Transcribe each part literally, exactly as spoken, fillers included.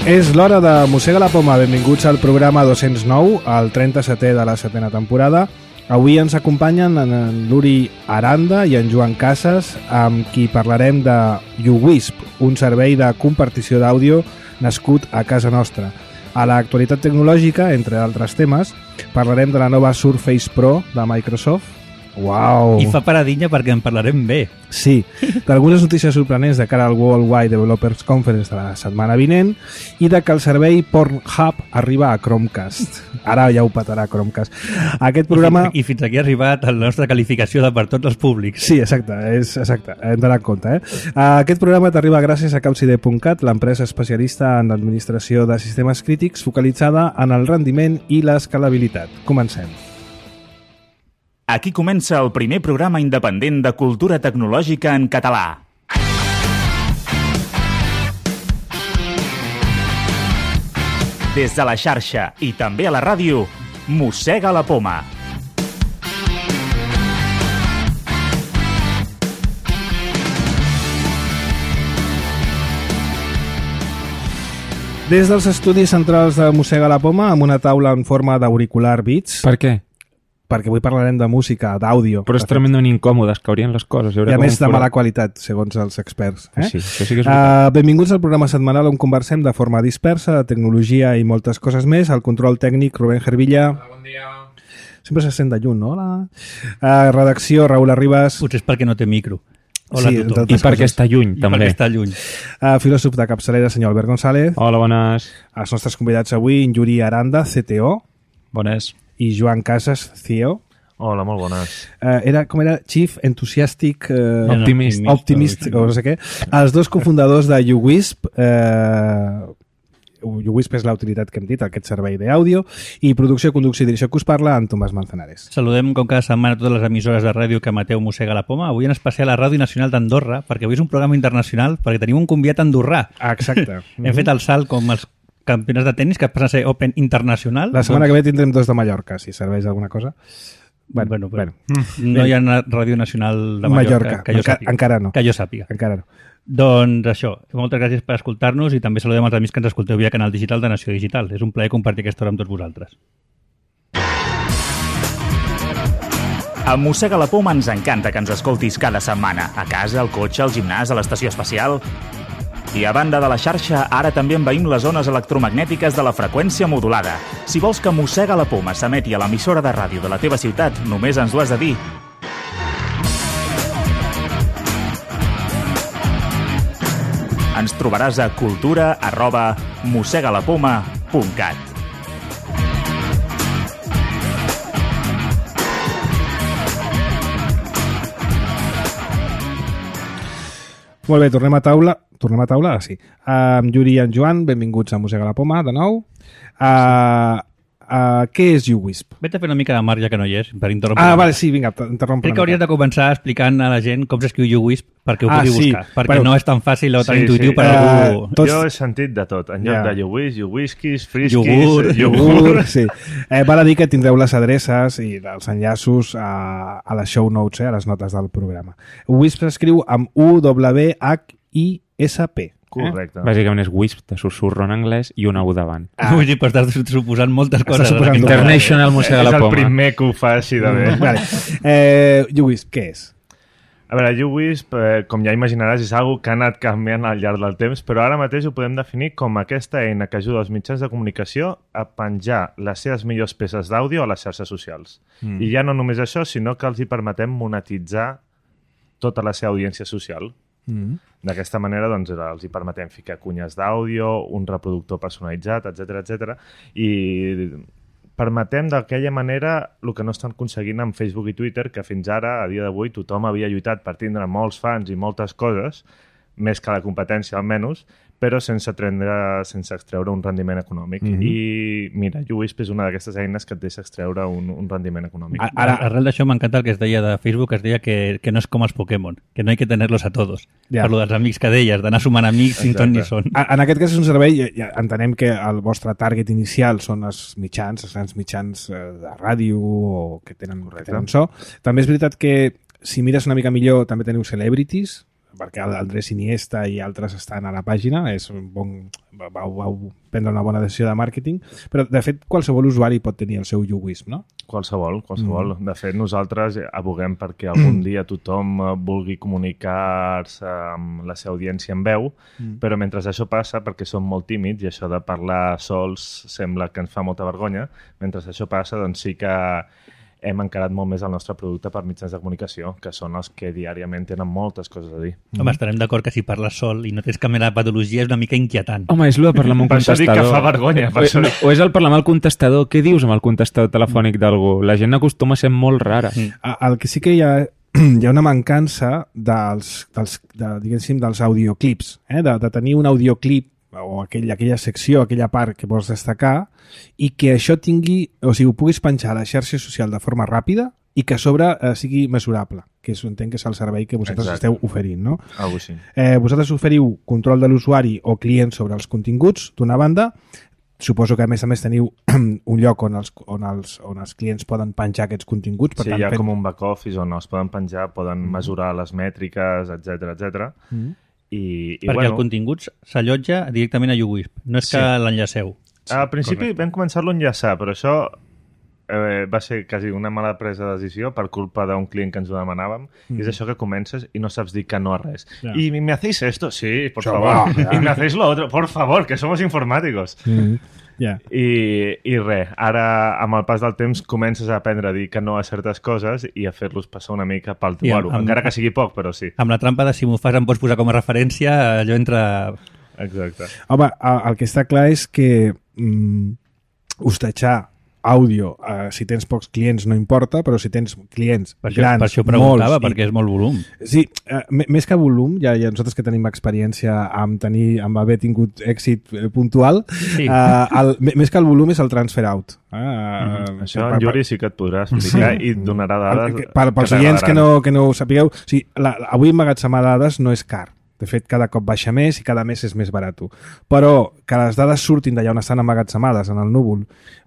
És l'hora de Mossega la Poma. Benvinguts al programa dos-cents nou, el trenta-setè de la setena temporada. Avui ens acompanyen en l'Uri Aranda i en Joan Casas, amb qui parlarem de YouWisp, un servei de compartició d'àudio nascut a casa nostra. A l'actualitat tecnològica, entre altres temes, parlarem de la nova Surface Pro de Microsoft. Uau! I fa paradinha perquè en parlarem bé. Sí, d'algunes notícies sorprenents de cara al Worldwide Developers Conference de la setmana vinent i de que el servei Pornhub arriba a Chromecast. Ara ja ho petarà Chromecast. Aquest programa... I, I fins aquí ha arribat la nostra qualificació de per tots els públics. Sí, exacte, és exacte, hem d'anar en compte. Eh? Aquest programa t'arriba gràcies a Capcide punt cat, l'empresa especialista en l'administració de sistemes crítics focalitzada en el rendiment i l'escalabilitat. Comencem. Aquí comença el primer programa independent de cultura tecnològica en català. Des de la xarxa i també a la ràdio, Mossega la Poma. Des dels estudis centrals de Mossega la Poma, amb una taula en forma d'auricular Beats. Per què? Perquè avui parlarem de música, d'àudio. Però és tremendament incòmodes, caurien les coses. I a més de mala qualitat, segons els experts. Eh? Sí, això sí que és uh, benvinguts al programa setmanal on conversem de forma dispersa, de tecnologia i moltes coses més. Al control tècnic, Rubén Gervilla. Hola, bon dia. Sempre se sent de lluny, no? Hola. Uh, redacció, Raül Arribas. Potser és perquè no té micro. Hola sí, a tothom. I perquè està lluny, I també. perquè està lluny. Uh, filòsof de capçalera, senyor Albert González. Hola, bones. Els nostres convidats avui, en Yuri Aranda, C T O. Bones. I Joan Casas, C E O. Hola, molt bones. Uh, era, com era? Chief Enthusiastic uh, Optimist. Optimist, o no sé què. Els dos cofundadors de YouWisp. Uh, YouWisp és la utilitat que hem dit, aquest servei d'àudio, i producció, conducció i direcció que us parla, en Tomàs Manzanares. Saludem com cada setmana totes les emissores de ràdio que emeteu Mossega la Poma. Avui en especial a Ràdio Nacional d'Andorra, perquè avui és un programa internacional, perquè tenim un convidat andorrà. Ah, exacte. Hem fet el salt com els campionats de tennis, que passen a ser Open Internacional. La setmana que ve tindrem dos de Mallorca, si serveix alguna cosa. Bueno, bueno, bueno. No hi ha Ràdio Nacional de Mallorca, Mallorca. que jo Enca sàpiga. Encara no. Que jo sàpiga. Encara no. Doncs això, moltes gràcies per escoltar-nos i també saludem els amics que ens escolteu via canal digital de Nació Digital. És un plaer compartir aquesta hora amb tots vosaltres. A Mossega la Poma ens encanta que ens escoltis cada setmana, a casa, al cotxe, al gimnàs, a l'estació espacial. I a banda de la xarxa, ara també envaïm les zones electromagnètiques de la freqüència modulada. Si vols que Mossega la Poma s'emeti a l'emissora de ràdio de la teva ciutat, només ens ho has de dir. Ens trobaràs a cultura arroba mossegalapoma punt cat. Molt bé, tornem a taula. Tornem a taula, ara sí. Uh, amb Yuri i en Joan, benvinguts a Mossega la Poma, de nou. Uh, uh, què és YouWisp? Vet a fer una mica de marge ja que no hi és, per interrompre. Ah, vale, sí, vinga, interrompe. Crec que hauries de començar explicant a la gent com s'escriu YouWisp perquè ho Ah, pugui sí. buscar, perquè Bueno. no és tan fàcil o tan Sí, intuïtiu sí. per Eh, algú... Tots- Jo he sentit de tot. En lloc Ja. de YouWis, YouWhiskis, Friskies, Iogurt, Iogurt, sí. Eh, val a dir que tindreu les adreces i els enllaços a, a les show notes, eh, a les notes del programa. Wisp s'escriu amb U W H I S P. Correcte. Bàsicament és Wisp, de susurro en anglès i una U davant. Ah. Vull dir, però estàs suposant moltes coses. suposant d'aquest tot. programa. International Mossega És la el Poma. primer que ho fa així de bé. Vale. Eh, YouWisp, què és? A veure, YouWisp, eh, com ja imaginaràs, és algo que ha anat canviant al llarg del temps, però ara mateix ho podem definir com aquesta eina que ajuda els mitjans de comunicació a penjar les seves millors peces d'àudio a les xarxes socials. Mm. I ja no només això, sinó que els hi permetem monetitzar tota la seva audiència social. Mm. D'aquesta manera doncs, els hi permetem ficar cunyes d'àudio, un reproductor personalitzat, etcètera, etcètera, i permetem d'aquella manera el que no estan aconseguint amb Facebook i Twitter, que fins ara, a dia d'avui, tothom havia lluitat per tindre molts fans i moltes coses, més que la competència almenys, però sense, trendre, sense extreure un rendiment econòmic. Mm-hmm. I mira, YouWisp és una d'aquestes eines que et deixa extreure un, un rendiment econòmic. Ara, ara, arrel d'això m'encanta el que es deia de Facebook, es deia que, que no és com els Pokémon, que no hay que tenerlos a todos. Ja. Per lo dels amics que deies, d'anar sumant amics sin ton ni son. A- En aquest cas és un servei, ja, ja entenem que el vostre target inicial són els mitjans, els grans mitjans eh, de ràdio o que tenen, que tenen so. També és veritat que si mires una mica millor també teniu celebrities, perquè Andrés Iniesta i altres estan a la pàgina, és un bon, vau, vau prendre una bona decisió de màrqueting, però de fet qualsevol usuari pot tenir el seu YouWisp, no? Qualsevol, qualsevol. Mm. De fet, nosaltres aboguem perquè algun dia tothom vulgui comunicar-se amb la seva audiència en veu, mm. però mentre això passa, perquè som molt tímids i això de parlar sols sembla que ens fa molta vergonya, mentre això passa, doncs sí que hem encarat molt més el nostre producte per mitjans de comunicació, que són els que diàriament tenen moltes coses a dir. Home, estarem d'acord que si parles sol i no tens cap mena de patologia és una mica inquietant. Home, és el de parlar amb un per contestador. Per això dic que fa vergonya. Per o, això... no, o és el parlar amb el contestador. Què dius amb el contestador telefònic d'algú? La gent acostuma a ser molt rara. Mm. El que sí que hi ha, hi ha una mancança dels, dels, de, diguéssim, dels audioclips, eh? de, de tenir un audioclip o aquell, aquella secció, aquella part que vols destacar i que això tingui, o sigui, ho puguis penjar a la xarxa social de forma ràpida i que a sobre eh, sigui mesurable, que és, entenc que és el servei que vosaltres Exacte. Esteu oferint, no? Algo així. Eh, vosaltres oferiu control de l'usuari o client sobre els continguts, d'una banda. Suposo que a més a més teniu un lloc on els, on els, on els clients poden penjar aquests continguts. Per sí, tant, hi ha fent... com un back-office on els poden penjar, poden mm. mesurar les mètriques, etcètera, etcètera. Mm. I, i, perquè bueno, el contingut s'allotja directament a YouWisp, no és sí. que l'enllaceu. Sí, al principi correcte. Vam començar-lo a enllaçar, però això eh, va ser quasi una mala presa de decisió per culpa d'un client que ens ho demanàvem, mm. i és això que comences i no saps dir que no a res. Ja. I me hacéis esto? Sí, por això favor. Va, ja. Y me hacéis lo otro? Por favor, que somos informáticos. Mm. Yeah. I, i res, ara amb el pas del temps comences a aprendre a dir que no a certes coses i a fer-los passar una mica pel teu aro, amb... encara que sigui poc, però sí. Amb la trampa de si m'ho fas em pots posar com a referència, allò entra... Exacte. Home, el que està clar és que mm, hostatjar àudio, eh, si tens pocs clients no importa, però si tens clients per això, grans, per això preguntava, molts, perquè i... és molt volum. Sí, eh, més que volum, ja, ja nosaltres que tenim experiència amb, tenir, amb haver tingut èxit puntual, sí. eh, el, més que el volum és el transfer out. Eh, mm-hmm. Això en Yuri sí que et podrà explicar sí. i et donarà dades per, per, pels oients que no, que no ho sapigueu, o sigui, la, la, avui emmagatzemar dades no és car. De fet, cada cop baixa més i cada mes és més barat. Però que les dades surtin d'allà on estan emmagatzemades, en el núvol,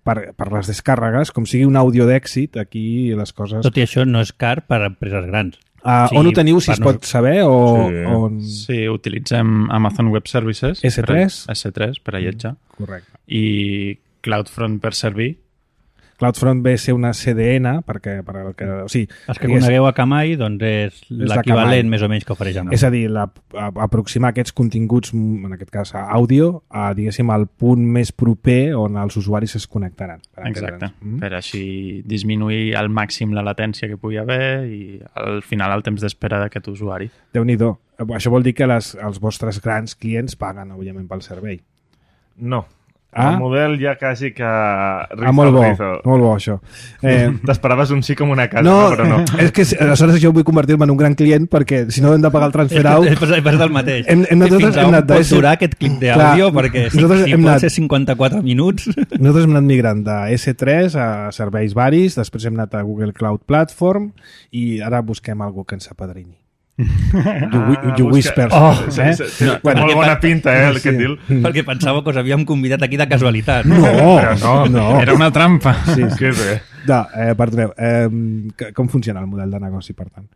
per, per les descàrregues, com sigui un àudio d'èxit, aquí les coses... Tot i això no és car per a empreses grans. Uh, sí, on ho teniu, si es pot saber? O, sí. on... sí, utilitzem Amazon Web Services. esse tres? Per, esse tres, per allotjar. Mm, correcte. I CloudFront per servir. CloudFront ve a ser una C D N, perquè... Per el que, o sigui, els que conegueu a Akamai, doncs és, és l'equivalent més o menys que ofereix Amazon. És a dir, la, a, aproximar aquests continguts, en aquest cas àudio, a, diguéssim, al punt més proper on els usuaris es connectaran. Exacte, mm? per així disminuir al màxim la latència que pugui haver i al final el temps d'espera d'aquest usuari. Déu-n'hi-do. Això vol dir que les, els vostres grans clients paguen, òbviament, pel servei. No. Ah? El model ja quasi que... Ah, molt bo, rizo. molt bo això. Eh... T'esperaves un sí com una casa, no, no, però no. És que aleshores jo vull convertir-me en un gran client perquè si no hem de pagar el transfer out... És, és, és del mateix. Hem, hem Fins a on pot durar aquest clip d'àudio, perquè si, si pot anat... ser cinquanta-quatre minuts... Nosaltres hem anat migrant de esse tres a serveis varis, després hem anat a Google Cloud Platform i ara busquem algú que ens apadrini. Ah, YouWispers. Oh, eh? sí, sí, no, bueno, molt bona pinta, eh, el sí. que et diu. Perquè pensava que us havíem convidat aquí de casualitat. No, no, no. Era una trampa. Sí, sí. Que bé. No, eh, perdoneu, eh, com funciona el model de negoci, per tant?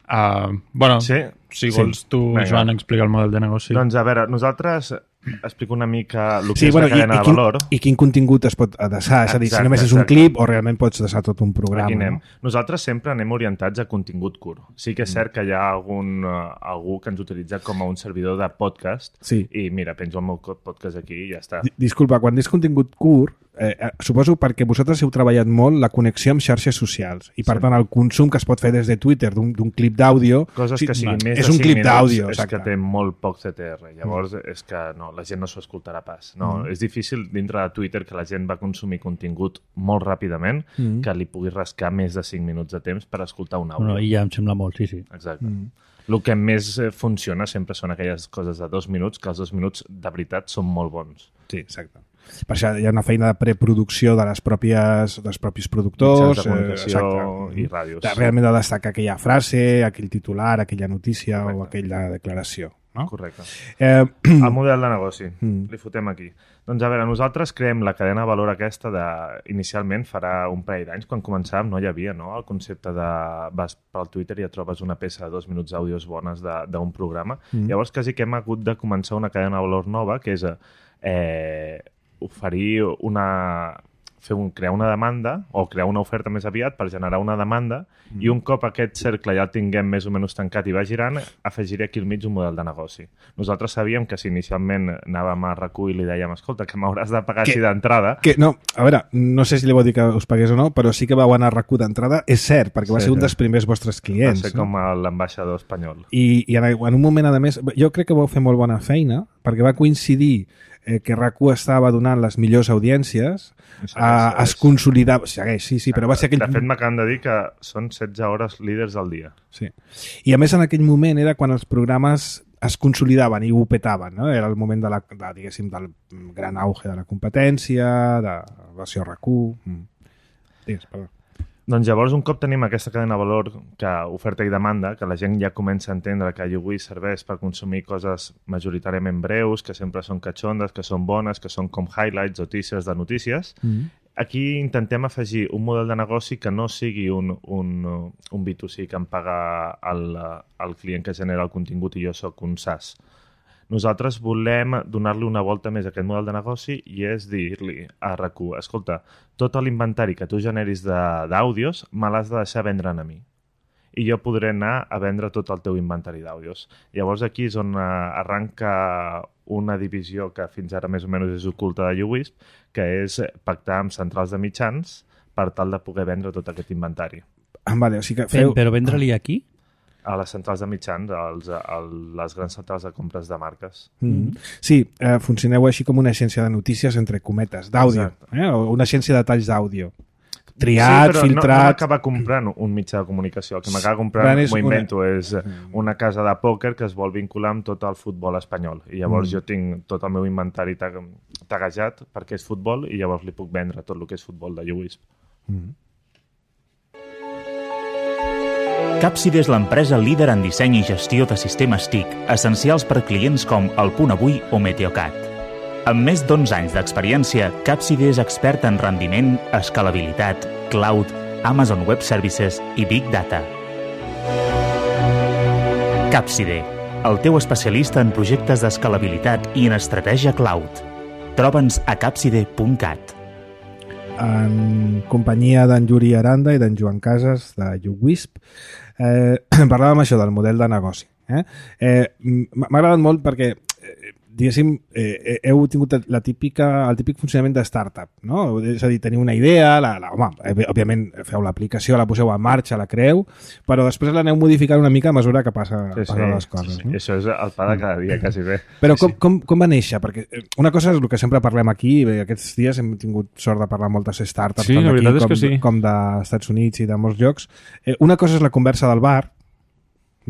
Uh, bueno, sí? si vols sí. tu, Venga. Joan, explicar el model de negoci. Doncs a veure, nosaltres explico una mica el que sí, és bueno, la cadena i, i de quin, valor. I quin contingut es pot adreçar, és a dir, exacte, si només és un exacte. clip o realment pots adreçar tot un programa. Aquí anem. No? Nosaltres sempre anem orientats a contingut curt. Sí que és cert que hi ha algun, uh, algú que ens utilitza com a un servidor de podcast sí. i mira, penjo el meu podcast aquí i ja està. D Disculpa, quan dius contingut curt, eh, eh, suposo perquè vosaltres heu treballat molt la connexió amb xarxes socials i per sí. tant el consum que es pot fer des de Twitter d'un clip d'àudio coses que siguin més és de un clip d'àudio, és que té molt poc C T R, llavors mm. és que no, la gent no s'ho escoltarà pas. No, mm. és difícil dintre de Twitter que la gent va consumir contingut molt ràpidament mm. que li pugui rascar més de cinc minuts de temps per escoltar un àudio. No, I ja em sembla molt, sí, sí. Exacte. Mm. El que més funciona sempre són aquelles coses de dos minuts, que els dos minuts de veritat són molt bons. Sí, exacte. Per això hi ha una feina de preproducció de les pròpies, dels propis productors, mitjans de comunicació eh, i ràdios. De, realment de destacar aquella frase, aquell titular, aquella notícia correcte. O aquella declaració. no? Correcte. Eh, El model de negoci, Mm. li fotem aquí. Doncs a veure, nosaltres creem la cadena de valor aquesta de, inicialment farà un parell d'anys, quan començàvem no hi havia no? El concepte de vas pel Twitter i et trobes una peça de dos minuts d'àudios bones de- d'un programa. Mm. Llavors quasi que hem hagut de començar una cadena de valor nova, que és eh, oferir una... fer un, crear una demanda o crear una oferta més aviat per generar una demanda mm. i un cop aquest cercle ja el tinguem més o menys tancat i va girant, afegiré aquí al mig un model de negoci. Nosaltres sabíem que si inicialment anàvem a recull i li dèiem escolta, que m'hauràs de pagar Que- així d'entrada, que, no, a veure, no sé si li vau dir que us pagués o no, però sí que vau anar a R A C U d'entrada, és cert, perquè va Sí, ser un sí. dels primers vostres va clients. ser no? com l'ambaixador espanyol. I, i en, en un moment, a més, jo crec que vau fer molt bona feina, perquè va coincidir eh, que R A C U estava donant les millors audiències, Segueix, a, es segueix. consolidava... Segueix, sí, sí, però va ser aquell... De fet, m'acaben de dir que són setze hores líders al dia. Sí. I a més en aquell moment era quan els programes es consolidaven i ho petaven, no? Era el moment de la, de, diguéssim, del gran auge de la competència, de la versió R A C U... Mm. Digues, perdó. Doncs llavors, un cop tenim aquesta cadena de valor que oferta i demanda, que la gent ja comença a entendre que YouWish serveix per consumir coses majoritàriament breus, que sempre són catxondes, que són bones, que són com highlights o teasers de notícies, Mm. aquí intentem afegir un model de negoci que no sigui un, un, un B dos C que em paga el, el client que genera el contingut i jo sóc un SaaS. Nosaltres volem donar-li una volta més a aquest model de negoci i és dir-li a R A C U, escolta, tot l'inventari que tu generis de- d'àudios me l'has de deixar vendre'n a mi. I jo podré anar a vendre tot el teu inventari d'àudios. Llavors aquí és on eh, arranca una divisió que fins ara més o menys és oculta de YouWish, que és pactar amb centrals de mitjans per tal de poder vendre tot aquest inventari. Ah, vale, o sigui que Feu... feu... Però vendre-li aquí? A les centrals de mitjans, als, a les grans centrals de compres de marques. Mm. Sí, eh, funcioneu així com una agència de notícies entre cometes, d'àudio, Exacte. eh? O una agència de talls d'àudio. Triat, sí, però filtrat... no, no m'acaba comprant un mitjà de comunicació. El que m'acaba comprant, Clar, és m'ho una- invento, és una casa de pòquer que es vol vincular amb tot el futbol espanyol. I llavors Mm. jo tinc tot el meu inventari tag taguejat perquè és futbol i llavors li puc vendre tot el que és futbol de YouWish. Mm. Capside és l'empresa líder en disseny i gestió de sistemes T I C, essencials per clients com El Punt Avui o Meteocat. Amb més d'onze anys d'experiència, Capside és expert en rendiment, escalabilitat, cloud, Amazon Web Services i Big Data. Capside, el teu especialista en projectes d'escalabilitat i en estratègia cloud. Troba'ns a capside punt cat. En companyia d'en Yuri Aranda i d'en Joan Casas de YouWisp, eh, parlàvem això del model de negoci. Eh? Eh, M'ha agradat molt perquè eh, diguéssim, eh, heu tingut la típica, el típic funcionament de startup, no? És a dir, teniu una idea, la, la, home, òbviament feu l'aplicació, la poseu en marxa, la creeu, però després l'aneu modificant una mica a mesura que passa, Sí, sí, passen les coses. sí, sí. No? I això és el pa de cada dia, quasi bé. Però com, com, com va néixer? Perquè una cosa és el que sempre parlem aquí, bé, aquests dies hem tingut sort de parlar amb moltes startups Sí, tant la d'aquí veritat és com, que sí. com dels Estats Units i de molts llocs. Eh, una cosa és la conversa del bar,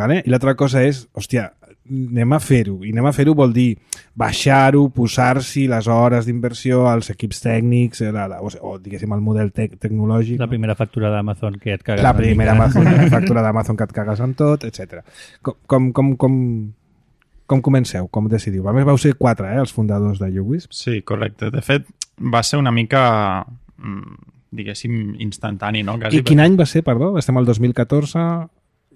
vale? I l'altra cosa és, hòstia, anem a fer-ho. I anem a fer-ho vol dir baixar-ho, posar-s'hi les hores d'inversió, els equips tècnics, la, la, o, o diguéssim el model tec tecnològic. La primera factura d'Amazon que et cagues La una primera mica. Amazon, la factura d'Amazon que et cagues en tot, etcètera. Com, com, com, com, com comenceu? Com decidiu? A més, vau ser quatre, eh, els fundadors de YouWisp. Sí, correcte. De fet, va ser una mica, mm, diguéssim, instantani, no? Quasi I quin any va ser, perdó? Estem al dos mil catorze...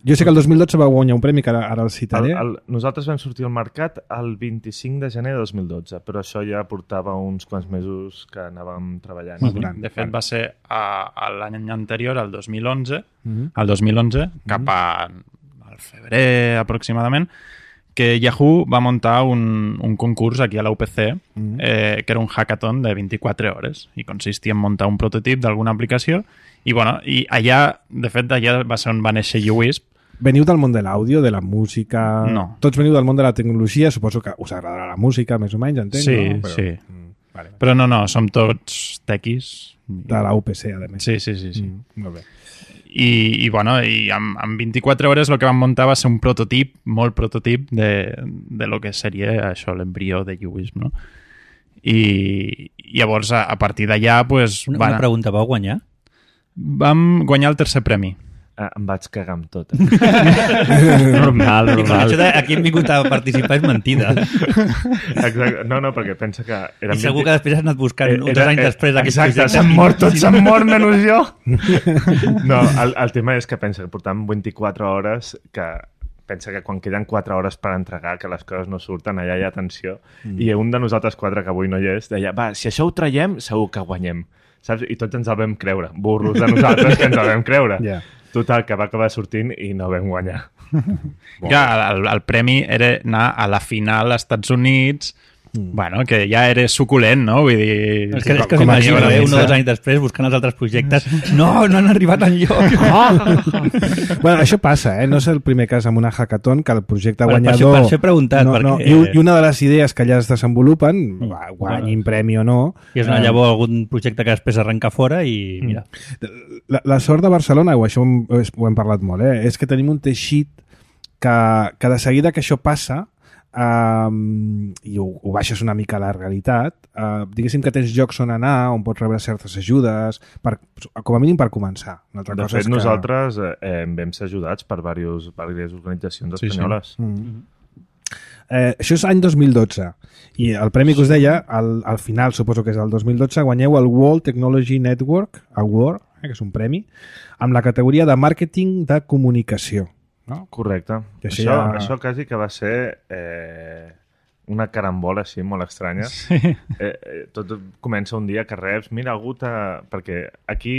Jo sé que el dos mil dotze va guanyar un premi, que ara, ara el El, citaré. el, nosaltres vam sortir al mercat el vint-i-cinc de gener de dos mil dotze, però això ja portava uns quants mesos que anàvem treballant. Molt gran. De fet, va ser a, a l'any anterior, al dos mil onze, Mhm. al dos mil onze, cap a, al febrer aproximadament, que Yahoo va muntar un, un concurs aquí a la U P C, Mhm. eh, que era un hackathon de vint-i-quatre hores, i consistia en muntar un prototip d'alguna aplicació, i, bueno, i allà, de fet, allà va ser on va néixer YouWisp. Veniu del món de l'àudio, de la música... No. Tots veniu del món de la tecnologia, suposo que us agradarà la música, més o menys, entenc, Sí, no? Però, sí. Mm, vale, vale. Però no, no, som tots tequis. De la U P C, a més. Sí, sí, sí. sí. Mm, molt bé. I, i bueno, i amb, amb vint-i-quatre hores el que vam muntar va ser un prototip, molt prototip de, de lo que seria això, l'embrió de YouWisp, no? I, i llavors a, a partir d'allà pues, Una, van, una pregunta, vau guanyar? vam guanyar el tercer premi. eh, em vaig cagar amb tot. Normal, I per normal. això de aquí hem vingut a participar és mentida. Exacte. No, no, perquè pensa que... I segur que després has anat buscant Eh, uns era- anys eh, després d'aquest exacte, projecte. s'han mort tots, s'han mort menys jo. No, el, el tema és que pensa que portam vint-i-quatre hores, que pensa que quan queden quatre hores per entregar, que les coses no surten, allà hi ha tensió, mm. i un de nosaltres quatre, que avui no hi és, deia, va, si això ho traiem, segur que guanyem. Saps? I tots ens el vam creure. Burros de nosaltres que ens el vam creure. Ja. Total, que va acabar sortint i no vam guanyar. Ja, el, el premi era anar a la final als Estats Units, mm. bueno, que ja era suculent, no? Vull dir... És que, és que com a s'imagina, llibre, eh? Un o dos anys després, buscant els altres projectes. No, no han arribat enlloc. Bueno, això passa, eh? No és el primer cas amb una hackathon que el projecte Per- per guanyador... això- per això he preguntat, no, no, perquè- i, i una de les idees que allà es desenvolupen, va, guanyin premi o no... I és una eh, llavor algun projecte que després arrenca fora i mira. La, la sort de Barcelona, o això ho hem, ho hem parlat molt, eh? És que tenim un teixit que, que de seguida que això passa, um, i ho, ho baixes una mica a la realitat, uh, diguéssim que tens llocs on anar, on pots rebre certes ajudes, per, com a mínim per començar. Una altra De cosa fet, és que... nosaltres eh, vam ser ajudats per diversos, diverses organitzacions Sí, sí. espanyoles. Mm. Eh, això és any dos mil dotze i el premi que us deia, al, al final suposo que és el dos mil dotze, guanyeu el World Technology Network Award, eh, que és un premi, amb la categoria de màrqueting de comunicació. No? Correcte. I Això, això això, ja- això quasi que va ser eh, una carambola així molt estranya. Sí. Eh, eh, tot comença un dia que reps, mira, algú t'ha... Perquè aquí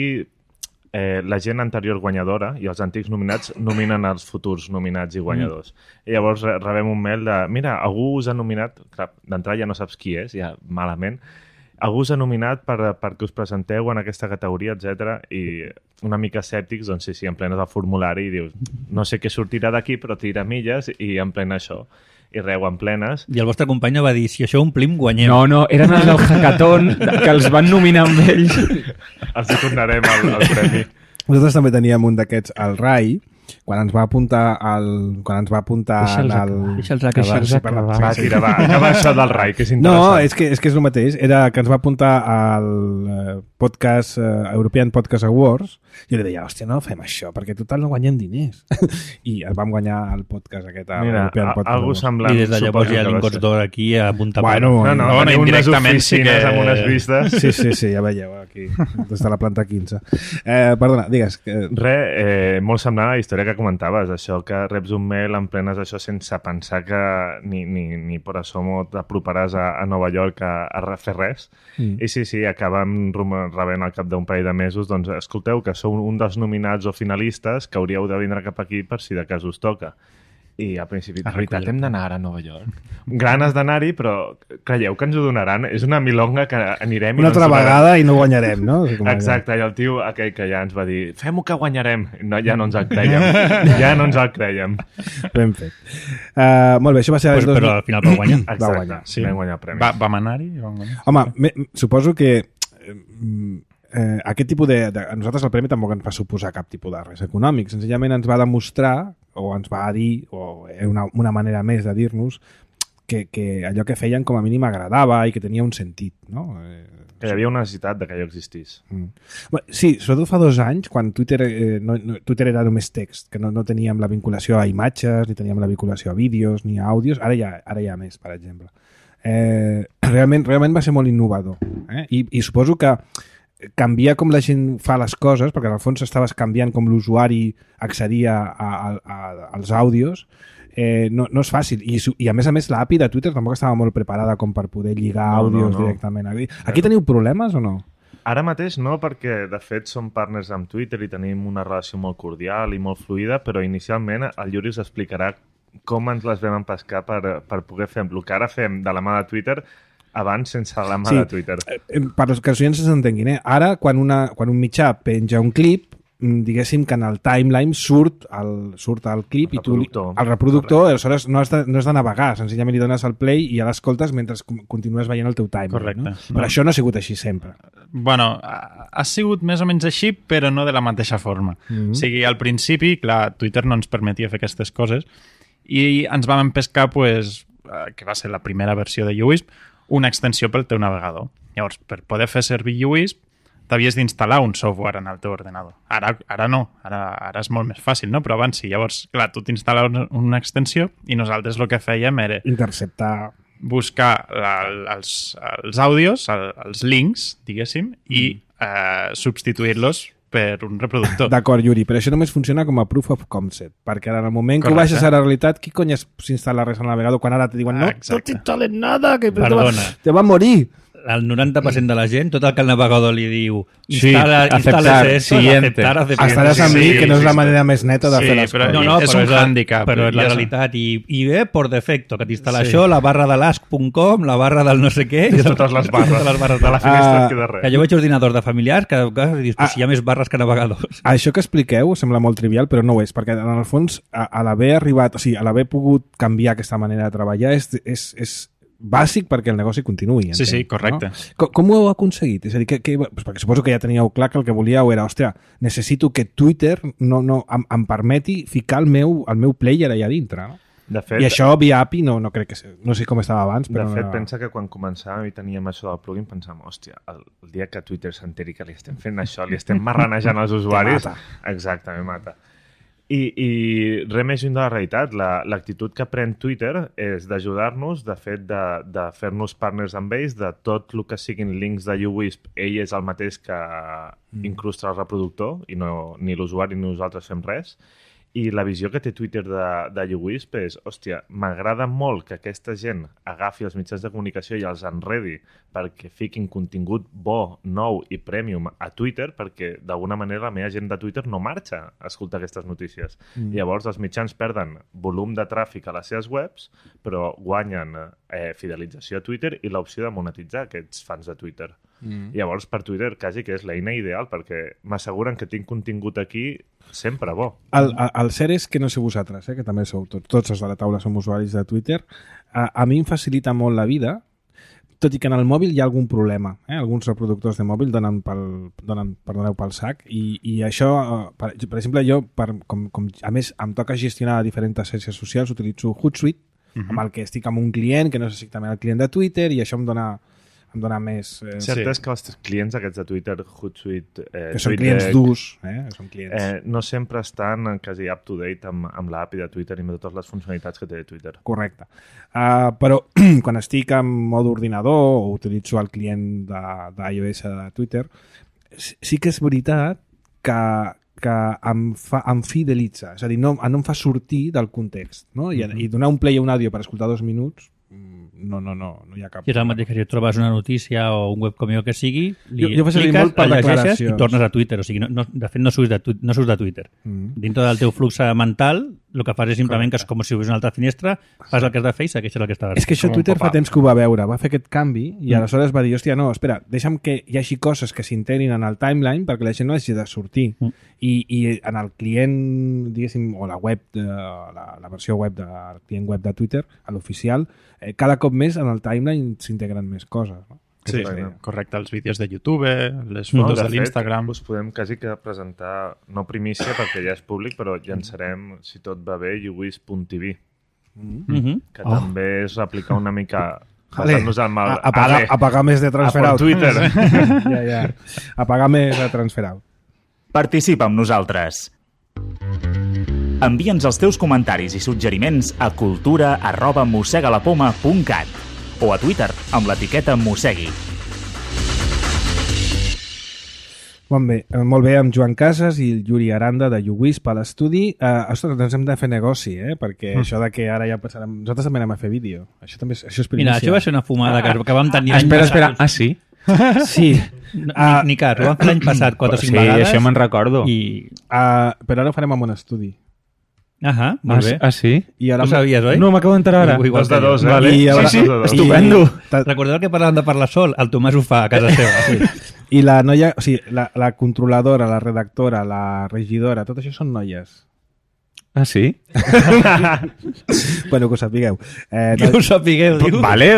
eh, la gent anterior guanyadora i els antics nominats nominen els futurs nominats i guanyadors. Mm. I llavors re- rebem un mail de, mira, algú us ha nominat, clar, d'entrada ja no saps qui és, ja malament, algú us ha nominat per, perquè us presenteu en aquesta categoria, etcètera. I una mica escèptics, doncs sí, sí, emplenes el formulari i dius, no sé què sortirà d'aquí, però tira milles i emplena això. I reu en plenes. I el vostre company va dir, si això omplim, guanyem. No, no, eren els del hackathon que els van nominar amb ells. Els hi tornarem al, al premi. Nosaltres també teníem un d'aquests al R A I, quan ens va apuntar al, quan ens va apuntar en Deixa'ls el... acabar. Deixa'ls acabar. Sí, Deixa'ls perdó. acabar. Va, tira, va, acaba això del R A I, que és No, interessant. és que, és que és el mateix. Era que ens va apuntar al eh, podcast, eh, European Podcast Awards. Jo li deia, hòstia, no fem això, perquè total no guanyem diners. I vam guanyar el podcast aquest, el Mira, European a- Podcast algú Awards. semblant. I des de llavors hi ha suposo que va lingots ser. d'or aquí a punta Bueno, No, no, Bueno, teniu unes indirectament sí oficines que- amb unes vistes. Sí, sí, sí, ja veieu aquí, des de la planta quinze. Eh, perdona, digues. Que... Re, eh, molt semblant a la història que comentaves, això que reps un mail en plenes això sense pensar que ni, ni, ni per asomo t'aproparàs a, a Nova York a, a fer res. Mm. I sí, sí, acabem rum- rebent al cap d'un parell de mesos, doncs escolteu que sou un dels nominats o finalistes que hauríeu de vindre cap aquí per si de cas us toca. I al principi, de veritat, hem d'anar ara a Nova York. Ganes d'anar-hi, però creieu que ens ho donaran? És una milonga que anirem... i Una no ens altra donaran. vegada i no guanyarem, no? O sigui, com allò. Exacte, i el tio aquell que ja ens va dir fem-ho que guanyarem, no, ja no ens el creiem ja no ens el creiem. Ben fet. Uh, molt bé, això va ser... Però, el dos mil- però al final va guanyar. Exacte, guanyar, sí. Vam guanyar el premi. Va, vam anar-hi? Vam guanyar? Home, me, suposo que eh, eh, aquest tipus de, de... A nosaltres el premi tampoc ens va suposar cap tipus de res econòmic. Senzillament ens va demostrar, o ens va dir, o una, una manera més de dir-nos, que, que allò que feien com a mínim agradava i que tenia un sentit, no? Eh, Que hi havia una necessitat de que allò existís. Mm. Bé, sí, sobretot fa dos anys, quan Twitter, eh, no, no, Twitter era només text, que no, no teníem la vinculació a imatges, ni teníem la vinculació a vídeos, ni a àudios, ara hi ha, ara hi ha més, per exemple. Eh, realment, realment va ser molt innovador. Eh? I, I suposo que canviar com la gent fa les coses, perquè en el fons estaves canviant com l'usuari accedia a, a, a, als àudios, eh, no, no és fàcil. I, su- I a més a més l'A P I de Twitter tampoc estava molt preparada com per poder lligar No, no, àudios no. directament. Aquí, aquí teniu problemes o no? Ara mateix no, perquè de fet som partners amb Twitter i tenim una relació molt cordial i molt fluida, però inicialment el Yuri us explicarà com ens les vam empescar per, per poder fer el que ara fem de la mà de Twitter abans sense la mà Sí. de Twitter. Eh, per als que els oients s'entenguin, eh? Ara, quan, una, quan un mitjà penja un clip, mm, diguéssim que en el timeline surt el, surt el clip El i tu... li- reproductor. El reproductor, aleshores no has, de, no has de navegar, senzillament li dones el play i ja l'escoltes mentre com- continues veient el teu timeline. Correcte. No? No. Però això no ha sigut així sempre. Bueno, ha, ha sigut més o menys així, però no de la mateixa forma. Mm -hmm. O sigui, al principi, clar, Twitter no ens permetia fer aquestes coses i ens vam empescar, pues, eh, que va ser la primera versió de U I S P, una extensió pel teu navegador. Llavors, per poder fer servir U I S P, t'havies d'instal·lar un software en el teu ordenador. Ara, ara no, ara, ara és molt més fàcil, no? Però abans sí. Llavors, clar, tu t'instal·les una, una extensió i nosaltres el que fèiem era interceptar, buscar la, els, els àudios, el, els links, diguéssim, i eh, substituir-los per un reproductor. D'acord, Yuri, però això només funciona com a proof of concept, perquè en el moment que ho baixes a la realitat, qui cony s'instal·la res al navegador quan ara te diuen no, no t'instal·les nada, que Perdona. te va a morir. El noranta per cent de la gent, tot el que el navegador li diu Sí, instala, aceptar, esto, siguiente. aceptar, aceptar. Estaràs amb mi, Sí, que no és sí, la sí. manera més neta de Sí, fer les però coses. No, no, és però un és la- hàndicap. Però és la Ja sé. realitat. I, I ve por defecto, que t'instal·la Sí. això, la barra de l'ask punt com, la barra del no sé què... I totes les barres. Totes les barres De la finestra Ah, et queda Que res. jo veig ordinadors de familiars que, que dius, Ah. si hi ha més barres que navegadors. Això que expliqueu sembla molt trivial, però no ho és, perquè en el fons, a, a l'haver arribat, o sigui, a l'haver pogut canviar aquesta manera de treballar és, és, és bàsic perquè el negoci continuï. Sí, sí, entenc, correcte. No? Com, com ho heu aconseguit? És a dir, que, que, pues perquè suposo que ja teníeu clar que el que volíeu era, hòstia, necessito que Twitter no, no, em, em permeti ficar el meu, el meu player allà dintre, no? De fet, I això via A P I no, no crec que... sé- No sé com estava abans, de però... fet no... pensa que quan començàvem i teníem això del plugin, pensàvem, hòstia, el, el dia que Twitter s'enteri que li estem fent això, li estem marranejant els usuaris... mata. Exacte, me mata. I, i res més lluny de la realitat. La- L'actitud que pren Twitter és d'ajudar-nos, de fet, de, de fer-nos partners amb ells, de tot el que siguin links de uWisp, ell és el mateix que mm. incrusta el reproductor, i no, ni l'usuari ni nosaltres fem res. I la visió que té Twitter de, de uWisp és, hòstia, m'agrada molt que aquesta gent agafi els mitjans de comunicació i els enredi perquè fiquin contingut bo, nou i premium a Twitter, perquè d'alguna manera la meva gent de Twitter no marxa a escoltar aquestes notícies. Mm. Llavors els mitjans perden volum de tràfic a les seves webs, però guanyen eh, fidelització a Twitter i l'opció de monetitzar aquests fans de Twitter. Mm. Llavors per Twitter quasi que és l'eina ideal, perquè m'asseguren que tinc contingut aquí sempre bo. El, el, el cert és que no sé vosaltres, eh, que també sou tots, tots els de la taula som usuaris de Twitter, a, a mi em facilita molt la vida, tot i que en el mòbil hi ha algun problema. Eh? Alguns reproductors de mòbil donen pel, donen, perdoneu, pel sac i, i això, eh, per, per exemple, jo, per, com, com, a més, em toca gestionar diferents xarxes socials, utilitzo Hootsuite, uh-huh. amb el que estic amb un client, que no és exactament el client de Twitter, i això em dona em dona més... Eh, Cert Sí. és que els clients aquests de Twitter, Hootsuite, eh, que són TweetDeck, clients durs, eh? Són clients... eh, no sempre estan quasi up-to-date amb, amb l'A P I de Twitter i amb totes les funcionalitats que té Twitter. Correcte. Uh, però quan estic en mode ordinador o utilitzo el client de, d'iOS de Twitter, sí que és veritat que, que em, fa, em fidelitza. És a dir, no, no em fa sortir del context. No? I, mm-hmm. I donar un play a un àudio per escoltar dos minuts, no, no, no, no hi ha cap... I és el mateix que si trobes una notícia o un webcom que sigui, li Jo- jo faig servir cliques, molt per el llegeixes declaracions. i tornes a Twitter. O sigui, no, no, de fet, no surts de, tu- no surts de Twitter. Mm. Dintre del teu flux mental, el que fas és simplement que és com si hubies una altra finestra, fas el que has de fer i segueixes el que estaves És que això Com un Twitter fa pop-up. temps que ho va veure, va fer aquest canvi i mm. aleshores va dir, hòstia, no, espera, deixa'm que hi hagi coses que s'integrin en el timeline perquè la gent no hagi de sortir. Mm. I, I en el client, diguéssim, o la web, de, la, la versió web del client web de Twitter, a l'oficial, eh, cada cop més en el timeline s'integren més coses. No? Sí, És, eh, correcte. Els vídeos de YouTube, les No, fotos de de fet, l'Instagram... us podem quasi que presentar, no primícia perquè ja és públic, però llançarem, si tot va bé, uWisp punt t v, Mhm. que Oh. també és replicar una mica... Ale, basant-nos en el... a, a, pagar, Ale, a pagar més de transfer a out. por Twitter. ja, ja. A pagar més de transfer out. Participa amb nosaltres. Envia'ns els teus comentaris i suggeriments a cultura arroba mossegalapoma punt cat o a Twitter amb l'etiqueta mossegui. Bon, bé, eh, molt bé, amb Joan Casas i el Yuri Aranda de uWisp a l'estudi. Uh, ostres, doncs hem de fer negoci, eh? Perquè mm. això de que ara ja passarem... Nosaltres també anem a fer vídeo. Això també és, això és primícia. Mira, això va ser una fumada que, que vam tenir... Ah, l'any espera, passat. espera. Ah, sí? Sí. No, Ah. ni, ni cas, ho vam fer l'any passat quatre o cinc Sí, vegades. això me'n recordo. I... Uh, però ara ho farem amb un estudi. Ahà, Ah, molt sí? bé. Ah, sí? I ara Tu sabies, oi? No, m'acabo d'entrar ara. Igual Dos de que jo. dos, eh? Vale. I ara- Sí, sí, dos de dos. Estupendo. Ta- Recordeu que parlàvem de parlar sol? El Tomàs ho fa a casa seva. Sí. I la noia, o sigui, la, la controladora, la redactora, la regidora, tot això són noies. Ah, sí? Bueno, que ho sapigueu. Eh, Que ho sapigueu, diu. Vale,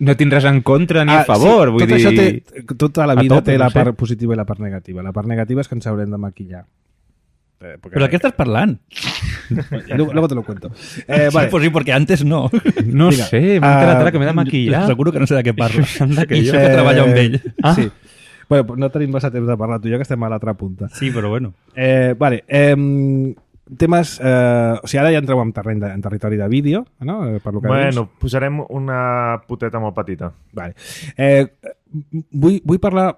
no tinc res en contra ni a favor. sí, vull tot dir... això té, tota la a vida tope, té no la sé. part positiva i la part negativa. La part negativa és que ens haurem de maquillar. Eh, porque- Però de què estàs parlant? Luego, luego te lo cuento. Eh, vale. Sí, pues sí, porque antes no. No Vinga. sé, m'ha quedat Ah, ara que m'he de maquillar. Seguro que no sé de què parlo. Anda que I jo. això que treballo amb ell. Ah. Sí. Bueno, no tenim massa temps de parlar, tu i jo, que estem a l'altra punta. Sí, però bueno. Eh, vale, eh, temes... Eh, o sigui, ara ja entreu en, terreny de, en territori de vídeo, no? Eh, per lo que Bueno, dius. posarem una poteta molt petita. Vale. Eh, vull, vull parlar...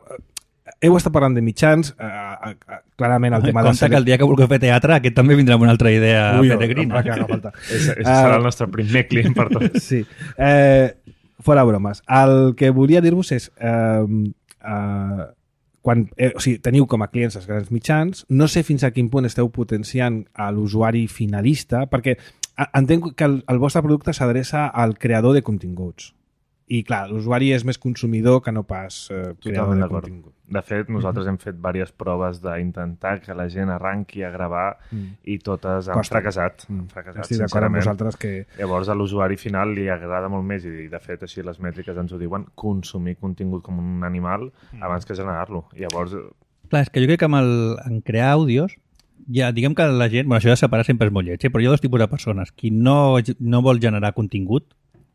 Heu estat parlant de mitjans, eh, eh, clarament el tema Compte de... que el dia que vulgueu fer teatre, aquest també vindrà amb una altra idea Ui, peregrina. em va cagar falta. Ese, ese serà el nostre primer client per tot. Sí. Eh, fora bromes. El que volia dir-vos és... Eh, eh, quan, eh, o sigui, teniu com a clients els grans mitjans, no sé fins a quin punt esteu potenciant a l'usuari finalista, perquè entenc que el, el vostre producte s'adreça al creador de continguts. I, clar, l'usuari és més consumidor que no pas eh, creador de d'acord. contingut. De fet, nosaltres hem fet diverses proves d'intentar que la gent arranqui a gravar Mm. i totes han Costa. fracassat. Mm. Han fracassat, Estic d'acord amb sincerament. vosaltres que... Llavors a l'usuari final li agrada molt més i de fet així les mètriques ens ho diuen, consumir contingut com un animal abans que generar-lo. Llavors, Clar, és que jo crec que amb el, en crear àudios, ja, diguem que la gent... Bueno, això de separar sempre és molt lleig, eh? Però hi ha dos tipus de persones. Qui no, no vol generar contingut,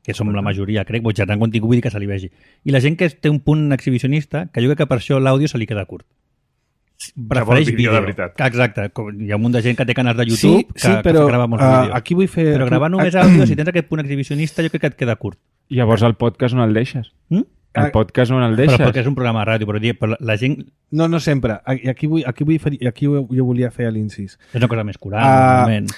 que som la majoria, crec, vol generar contingut, vull dir que se li vegi. I la gent que té un punt exhibicionista, que jo crec que per això l'àudio se li queda curt. Prefereix vídeo, vídeo. de veritat. Exacte. Com hi ha un munt de gent que té canals de YouTube Sí, sí, que, però que grava molts uh, vídeos. aquí vull fer... Però gravar només àudio, si tens aquest punt exhibicionista, jo crec que et queda curt. Llavors el podcast on el deixes? Mm? El podcast on el Però deixes? perquè és un programa de ràdio, però, però la, la gent No, no sempre. I aquí, vull, aquí, vull fer, aquí jo volia fer l'incís. és una cosa més curant, Ah, normalment.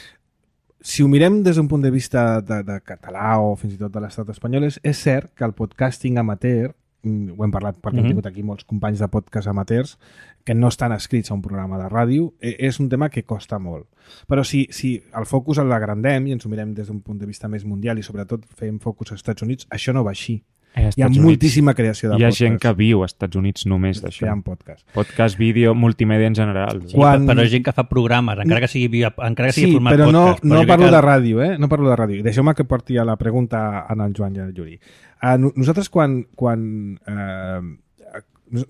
Si ho mirem des d'un punt de vista de, de català o fins i tot de l'estat espanyol, és, és cert que el podcasting amateur, mm, ho hem parlat perquè mm -hmm. hem tingut aquí molts companys de podcast amateurs que no estan escrits a un programa de ràdio, eh, és un tema que costa molt. Però si, si el focus el agrandem i ens ho mirem des d'un punt de vista més mundial i sobretot fem focus als Estats Units, això no va així. Eh, Hi ha Estats Units moltíssima creació de Hi ha podcasts. gent que viu als Estats Units només d'això. Creant podcast. Podcast, vídeo, multimèdia en general. Sí, Quan- Però és gent que fa programes, encara que sigui, via, encara que sigui Sí, format però no, podcast. no jo crec parlo que de ràdio, eh? No parlo de ràdio. Deixeu-me que porti a la pregunta en el Joan i el Yuri. Uh, nosaltres quan... quan uh,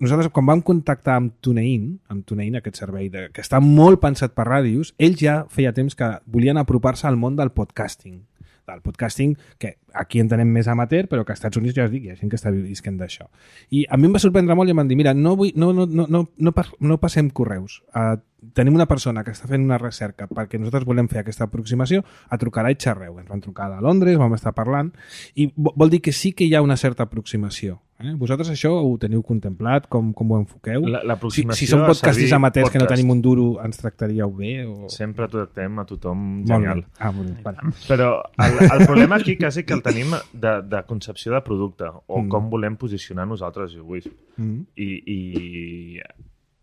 nosaltres quan vam contactar amb TuneIn, amb TuneIn, aquest servei de, que està molt pensat per ràdios, ells ja feia temps que volien apropar-se al món del podcasting. Del podcasting, que aquí entenem més amateur, però que als Estats Units ja us dic, hi ha gent que està visquent d'això. I a mi em va sorprendre molt i em van dir, mira, no, vull, no, no, no, no, no, pas, no passem correus. Uh, tenim una persona que està fent una recerca perquè nosaltres volem fer aquesta aproximació, a trucarà i xerreu. Ens van trucar de Londres, vam estar parlant, i vol dir que sí que hi ha una certa aproximació. Eh? Vosaltres això ho teniu contemplat? Com, com ho enfoqueu? La- l'aproximació si, si som a podcasters servir amateurs que no podcast. tenim un duro, ens tractaríeu bé? O... sempre tractem a tothom Molt genial. bé. Ah, molt bé. Vale. Però el, el problema aquí quasi que el tenim de, de concepció de producte o Mm. com volem posicionar nosaltres avui. Mm. I, i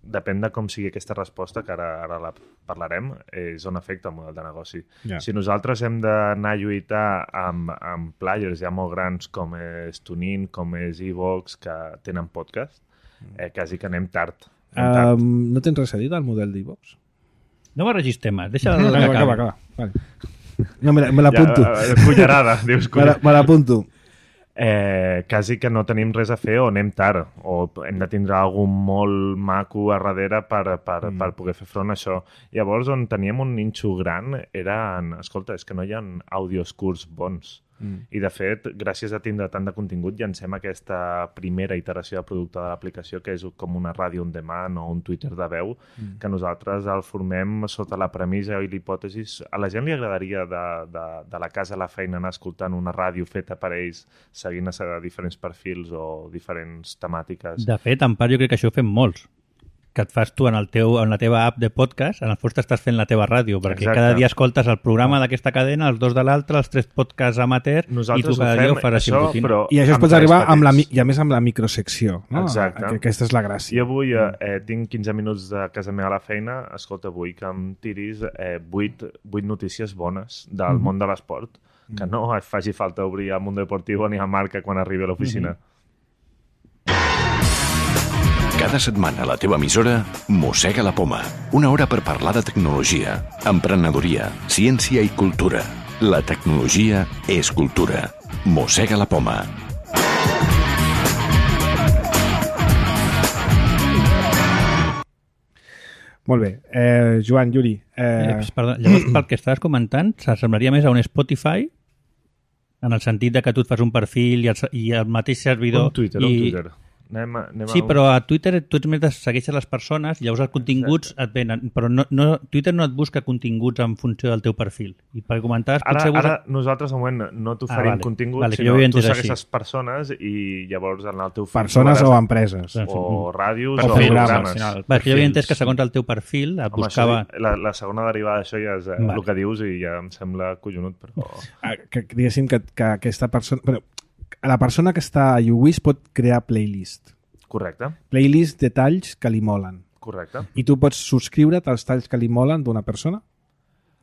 depèn de com sigui aquesta resposta, que ara, ara la parlarem, és on afecta el model de negoci. Ja. Si nosaltres hem d'anar a lluitar amb, amb players ja molt grans com és TuneIn, com és Evox, que tenen podcast, eh, quasi que anem tard. Anem tard. Um, no tens res a dir del model d'Evox? No barregis temes, deixa Acaba, l'acabar. acaba, acaba. Vale. No, me la- me l'apunto. Ja, eh, cullerada, dius Me la- me l'apunto. eh, quasi que no tenim res a fer o anem tard o hem de tindre algun molt maco a darrere per, per, mm. per poder fer front a això. Llavors, on teníem un ninxo gran era en, escolta, és que no hi ha àudios curts bons. Mm. I, de fet, gràcies a tindre tant de contingut, llancem aquesta primera iteració de producte de l'aplicació, que és com una ràdio on demand o un Twitter de veu, mm. que nosaltres el formem sota la premissa i l'hipòtesi. A la gent li agradaria de, de, de la casa a la feina anar escoltant una ràdio feta per ells, seguint a diferents perfils o diferents temàtiques. De fet, en part, jo crec que això ho fem molts. Que et fas tu en, el teu, en la teva app de podcast, en el fons t'estàs fent la teva ràdio, perquè Exacte. cada dia escoltes el programa d'aquesta cadena, els dos de l'altre, els tres podcasts amateur, Nosaltres i tu cada ho dia fem, ho faràs això, simultani. però I això es amb pot tres arribar amb la, mi- petits. i a més amb la microsecció. No? Exacte. Que aquesta és la gràcia. Jo avui eh, eh, tinc quinze minuts de casa meva a la feina. Escolta, vull que em tiris eh, vuit, vuit notícies bones del mm -hmm. món de l'esport, que no et faci falta obrir el Mundo Deportivo ni a Marca quan arribi a l'oficina. Mm -hmm. Cada setmana a la teva emissora Mossega la Poma. Una hora per parlar de tecnologia, emprenedoria, ciència i cultura. La tecnologia és cultura. Mossega la Poma. Molt bé. Eh, Joan, Yuri. Eh, Eh, perdó, llavors, pel que estaves comentant, s'assemblaria més a un Spotify, en el sentit de que tu et fas un perfil i el, i el mateix servidor... Un Twitter, i... un Twitter. Anem, a- anem Sí, a... però a Twitter tu ets més de segueixes les persones, llavors els continguts et venen, però no, no, Twitter no et busca continguts en funció del teu perfil. I per comentar, Ara, potser... ara nosaltres, de moment, no t'oferim Ah, vale. contingut, Vale, que jo sinó ho havia tu entès segueixes així. persones i llavors en el teu feed Persones o trobaràs- empreses. o ràdios Per o fils, programes. al final. Va, que jo havia Perfils. entès que segons el teu perfil et Home, buscava... això, la, la segona derivada d'això ja és eh, Vale. el que dius i ja em sembla collonut, però... Ah, que, que diguéssim que, que aquesta persona... Però, la persona que està a YouWish pot crear playlist. Correcte, Playlist de talls que li molen. correcte. I tu pots subscriure't als talls que li molen d'una persona?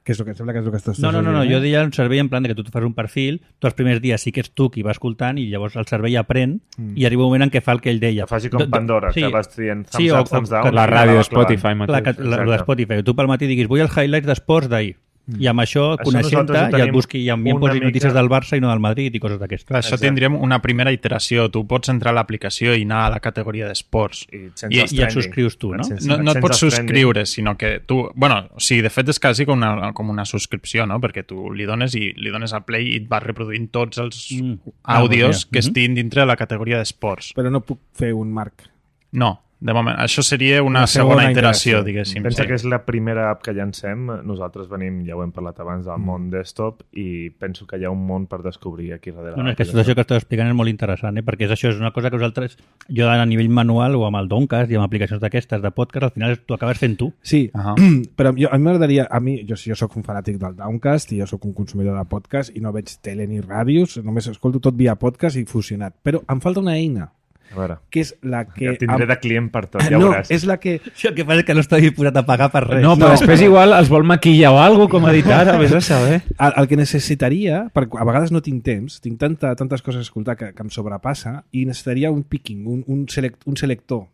Que és el que em sembla que és el que estàs No, no, no, no, dient, jo eh? deia un servei en plan de que tu et fas un perfil, tu els primers dies sí que ets tu qui va escoltant i llavors el servei aprèn Mm. i arriba un moment en què fa el que ell deia. Que faci com Do- do- Pandora, sí. que vas trient thumbs Sí, o- up, thumbs o- down. que i La anava ràdio de clavant. Spotify mateix. Clar, que, la, la de Exacte. Spotify, tu pel matí diguis vull els highlights d'esports d'ahir. I amb això, Això coneixent-te, nosaltres ho ja et tenim busqui i a mi em una posi mica- notícies del Barça i no del Madrid i coses d'aquestes. Clar, això Exacte. tindríem una primera iteració. Tu pots entrar a l'aplicació i anar a la categoria d'esports. I, I- els i et trending. subscrius tu, no? Sense- No, no et sense pots els trending. subscriure, sinó que tu... Bueno, o sigui, de fet és quasi com una, com una subscripció, no? Perquè tu li dones i li dones al play i et vas reproduint tots els Mm. Ah, àudios doncs mira. que Mhm. estiguin dintre de la categoria d'esports. Però no puc fer un marc. No, de moment. Això seria una, Una segona segona iteració, iteració. diguéssim. Pensa sí. que és la primera app que llancem. Nosaltres venim, ja ho hem parlat abans, del món desktop i penso que hi ha un món per descobrir aquí darrere. No, no, és que tot això que estàs explicant és molt interessant, eh? Perquè és això, és una cosa que nosaltres, jo a nivell manual o amb el Doncast i amb aplicacions d'aquestes de podcast, al final tu acabes fent tu. Sí, Ahà. però jo, a mi m'agradaria... A mi, jo, jo sóc un fanàtic del Downcast i jo sóc un consumidor de podcast i no veig tele ni ràdios, només escolto tot via podcast i fusionat. Però em falta una eina, A veure, que és la que... ja et tindré de client per tot, ja no, veuràs. és la que... Això el que passa és que no està disposat a pagar per res. No, però després igual els vol maquillar o alguna cosa, com ha dit ara, vés a saber. El, el que necessitaria, perquè a vegades no tinc temps, tinc tanta, tantes coses a escoltar que, que em sobrepassa, i necessitaria un picking, un, un, select, un selector.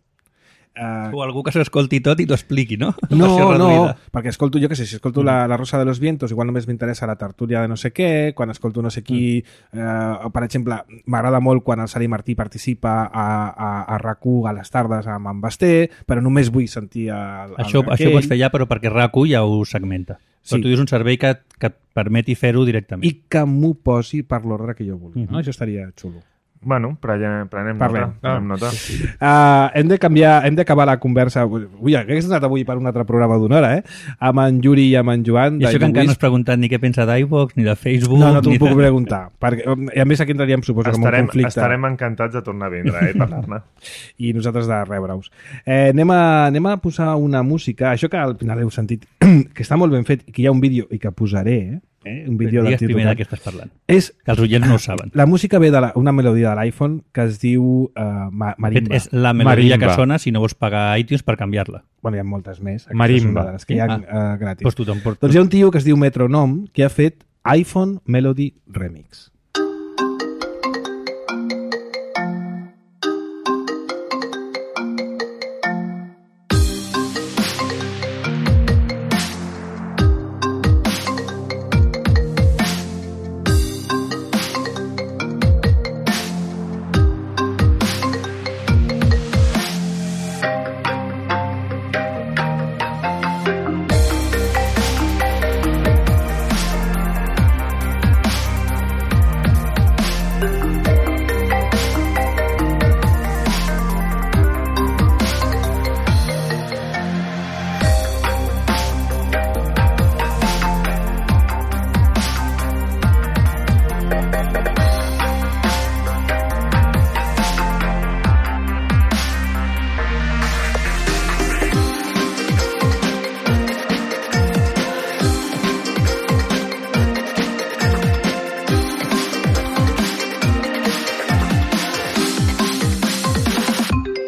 Uh, O algú que s'ho escolti tot i t'ho expliqui, no? no, Versió no, reduïda. perquè escolto, jo què sé, si escolto la, la Rosa de los Vientos, igual només m'interessa la tertúlia de no sé què, quan escolto no sé qui, eh, o, per exemple, m'agrada molt quan el Sari Martí participa a, a, a RAC u a les tardes amb en Basté, però només vull sentir el, el Això, això ho pots fer ja, però perquè RAC u ja ho segmenta. Sí. Però tu dius un servei que, que et permeti fer-ho directament. i que m'ho posi per l'ordre que jo vulgui. Mhm. No? Això estaria xulo. Bueno, prenem, prenem Parlem. nota. Prenem nota. Uh, hem de canviar, hem d'acabar la conversa. Ui, hagués anat avui per un altre programa d'una hora, eh? Amb en Yuri i amb en Joan. I això que encara no has YouWish. preguntat ni què pensa d'iVox, ni de Facebook... No, no t'ho ni puc de... preguntar. Perquè, I a més aquí entraríem, suposo, com un Estarem, conflicte. estarem encantats de tornar a vindre eh, i parlar-ne. I nosaltres de rebre-us. Eh, anem, a, anem a posar una música, això que al final heu sentit, que està molt ben fet i que hi ha un vídeo i que posaré, eh? eh? Un vídeo Digues primer de d'actitud. què estàs parlant. És, Que els oients no ho saben. la música ve d'una melodia de l'iPhone que es diu uh, ma De fet, Marimba. és la melodia Marimba. que sona si no vols pagar iTunes per canviar-la. Bueno, hi ha moltes més. Aquesta Marimba. és una de les que hi ha Ah. uh, gratis. Pues tu t'emportes. Doncs hi ha un tio que es diu Metronom que ha fet iPhone Melody Remix.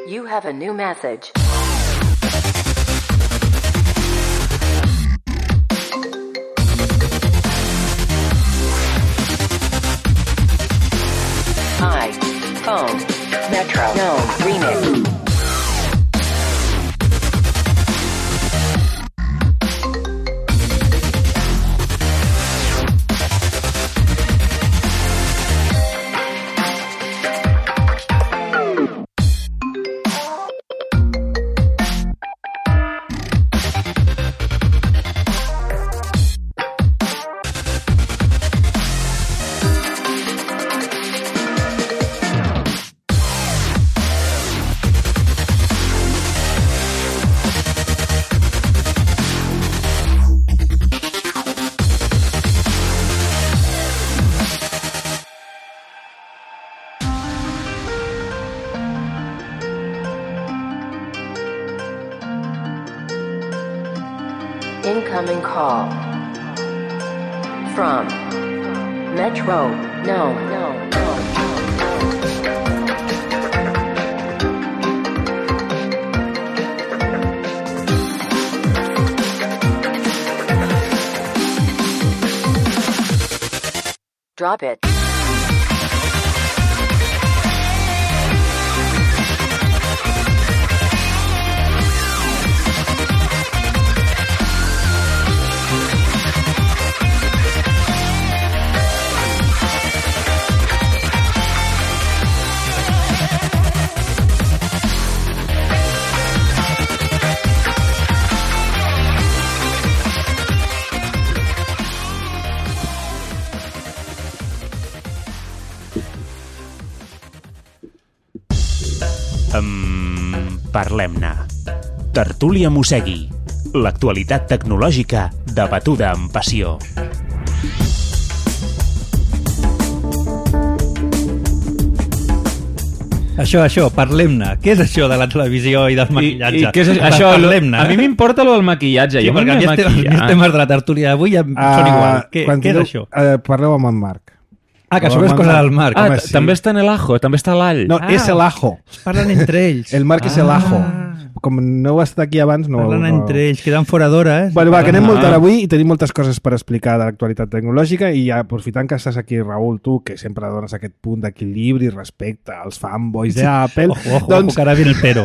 You have a new message. Hi. Phone. Metro. No. Remix. Incoming call. From Metro. No, no, no. Drop it. Um, Parlem-ne. Tertúlia Mossegui. L'actualitat tecnològica debatuda amb passió. Això, això, parlem-ne. Què és això de la televisió i del maquillatge? I, i què és això? Parlem-ne. A mi m'importa lo del maquillatge. Sí, jo perquè a mi els temes, els temes de la tertúlia d'avui ja uh, són igual. Què, què és diu, això? Uh, parleu amb en Marc. Ah, que això és cosa del Marc. Ah, sí. també està en el ajo, també està l'all. No, Ah, és el ajo. Es parlen entre ells. El Marc és el ajo. Com no heu estat aquí abans, no... Parlen no... entre ells, queden fora d'hora. Eh? Bueno, va, que anem Ah. molt tard avui i tenim moltes coses per explicar de l'actualitat tecnològica i ja, aprofitant que estàs aquí, Raül, tu, que sempre dones aquest punt d'equilibri respecte als fanboys d'Apple... Ojo, ojo, doncs... ojo, que ara viene el pero.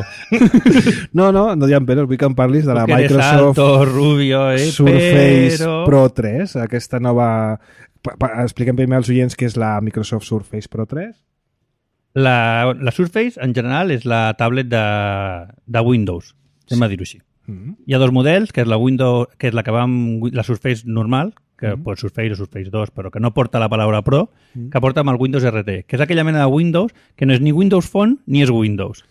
No, no, no hi ha peros, vull que em parlis de la Tu que eres Microsoft alto, rubio, eh, Surface pero... Pro tres, aquesta nova... Pa- pa- Expliquem primer als oients què és la Microsoft Surface Pro tres. La, la Surface, en general, és la tablet de, de Windows, anem a dir-ho així. Mm. Hi ha dos models, que és la Windows, que és la que va amb la Surface normal, que Mm. pot Surface o Surface dos, però que no porta la paraula Pro, Mm. que porta amb el Windows R T, que és aquella mena de Windows que no és ni Windows Phone ni és Windows.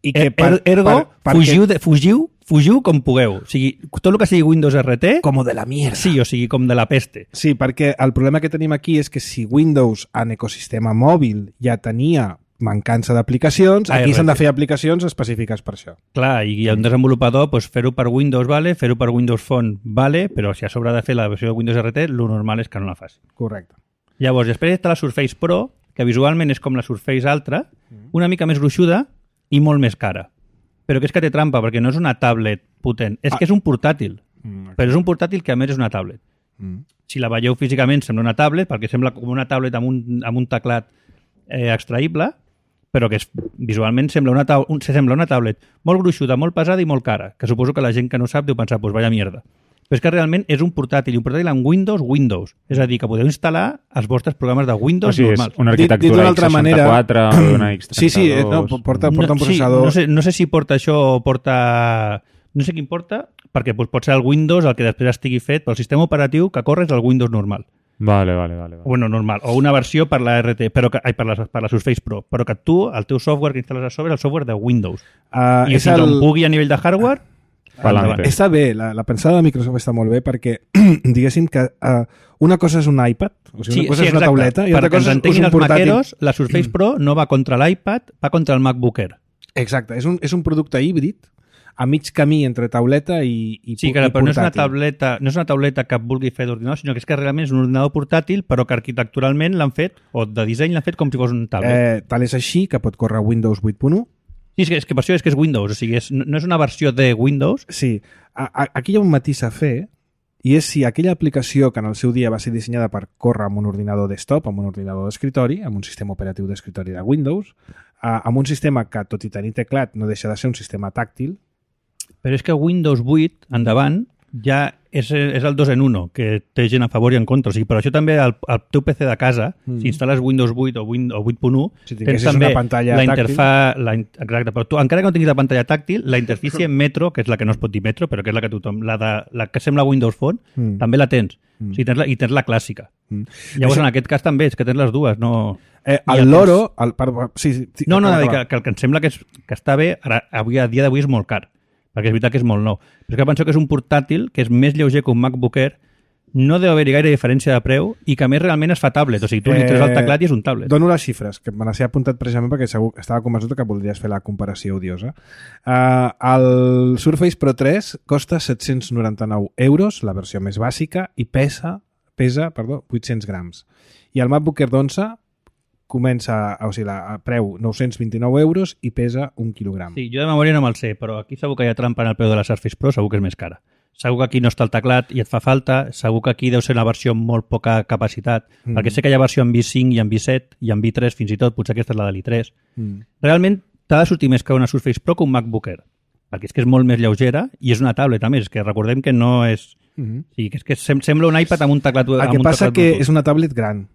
I que Er, er, ergo, per- fugiu, de, fugiu, fugiu com pugueu. O sigui, tot el que sigui Windows R T, Como de la mierda. sí, o sigui, com de la peste. Sí, perquè el problema que tenim aquí és que si Windows en ecosistema mòbil ja tenia mancança d'aplicacions, aquí A R T. s'han de fer aplicacions específiques per això. Clar, i un desenvolupador, doncs, fer-ho per Windows vale, fer-ho per Windows Phone vale, però si a sobre ha de fer la versió de Windows R T, lo normal és que no la faci. Correcte. Llavors, després està la Surface Pro, que visualment és com la Surface altra, una mica més gruixuda i molt més cara. Però que és que té trampa, perquè no és una tablet potent. És Ah. que és un portàtil, Mm. però és un portàtil que a més és una tablet. Mm. Si la veieu físicament sembla una tablet, perquè sembla com una tablet amb un, amb un teclat eh, extraïble, però que és, visualment sembla una, tab un, sembla una tablet molt gruixuda, molt pesada i molt cara, que suposo que la gent que no sap deu pensar, doncs vaya mierda. Però és que realment és un portàtil, i un portàtil amb Windows, Windows. És a dir, que podeu instal·lar els vostres programes de O Windows sigui, és normals. una Dit- dit arquitectura d'una altra x seixanta-quatre, una x trenta-dos... Sí, sí, eh, no, porta, porta un No, sí, processador. no, sé, no sé si porta això o porta... No sé quin porta, perquè doncs, pot ser el Windows el que després estigui fet, però el sistema operatiu que corre és el Windows normal. Vale, vale, vale. vale. Bueno, normal. O una versió per la R T, però que, ai, per, la, per la Surface Pro. Però que tu, el teu software que instal·les a sobre és el software de Windows. Uh, I és si el... el... pugui a nivell de hardware... Pa'lante. endavant. Està bé, la, la pensada de Microsoft està molt bé perquè, diguéssim que uh, una cosa és un iPad, o sigui, una cosa és una tauleta, i altra Perquè ens cosa és, és entenguin un els portàtil. maqueros, la Surface Pro no va contra l'iPad, va contra el MacBook Air. Exacte, és un, és un producte híbrid a mig camí entre tauleta i, i, Sí, i que, però no és, una portàtil. tauleta, no és una tauleta que vulgui fer d'ordinador, sinó que és que realment és un ordinador portàtil, però que arquitecturalment l'han fet, o de disseny l'han fet com si fos un tablet. Eh, tal és així que pot córrer Windows vuit punt u. Sí, és que, és que per això és que és Windows, o sigui, és, no és una versió de Windows. Sí, a, a, aquí hi ha un matís a fer, i és si aquella aplicació que en el seu dia va ser dissenyada per córrer amb un ordinador desktop, amb un ordinador d'escritori, amb un sistema operatiu d'escritori de Windows, a, amb un sistema que, tot i tenir teclat, no deixa de ser un sistema tàctil. Però és que Windows vuit, endavant, ja és, és el dos en uno, que té gent a favor i en contra. O sigui, per això també el, el teu P C de casa, Mm. si instal·les Windows vuit o, Win, o vuit punt u, Si tens tinguessis també una pantalla la tàctil. interfa... La, in- exacte, però tu, encara que no tinguis la pantalla tàctil, la interfície Metro, que és la que no es pot dir Metro, però que és la que tothom... La, de, la que sembla Windows Phone, Mm. també la tens. Mm. O sigui, tens la, I tens la clàssica. Mm. Llavors, Això- en aquest cas també, és que tens les dues, no... Eh, I el el loro... El, per, sí, sí, sí, No, no, acaba, que, acaba. que el que em sembla que, és, que està bé, ara, avui, a dia d'avui és molt car, perquè és veritat que és molt nou. Però és que penso que és un portàtil que és més lleuger que un MacBook Air, no deu haver-hi gaire diferència de preu i que a més realment es fa tablet, o sigui, tu li treus el teclat i és un tablet. Dono les xifres, que me les he apuntat precisament perquè segur, estava convençut que voldries fer la comparació odiosa. Uh, el Surface Pro tres costa set-cents noranta-nou euros, la versió més bàsica, i pesa, pesa perdó, vuit-cents grams. I el MacBook Air d'onze comença, o sigui, a preu nou-cents vint-i-nou euros i pesa un quilogram. Sí, jo de memòria no me'l sé, però aquí segur que hi ha trampa en el preu de la Surface Pro, segur que és més cara. Segur que aquí no està el teclat i et fa falta, segur que aquí deu ser una versió amb molt poca capacitat, mm. perquè sé que hi ha versió amb i cinc i amb i set i amb i tres fins i tot, potser aquesta és la de l'i tres. Mm. Realment t'ha de sortir més que una Surface Pro que un MacBook Air, perquè és que és molt més lleugera i és una tablet, a més, que recordem que no és... Mm-hmm. Sí, que és que sem sembla un iPad amb un teclat... El que passa que és una tablet gran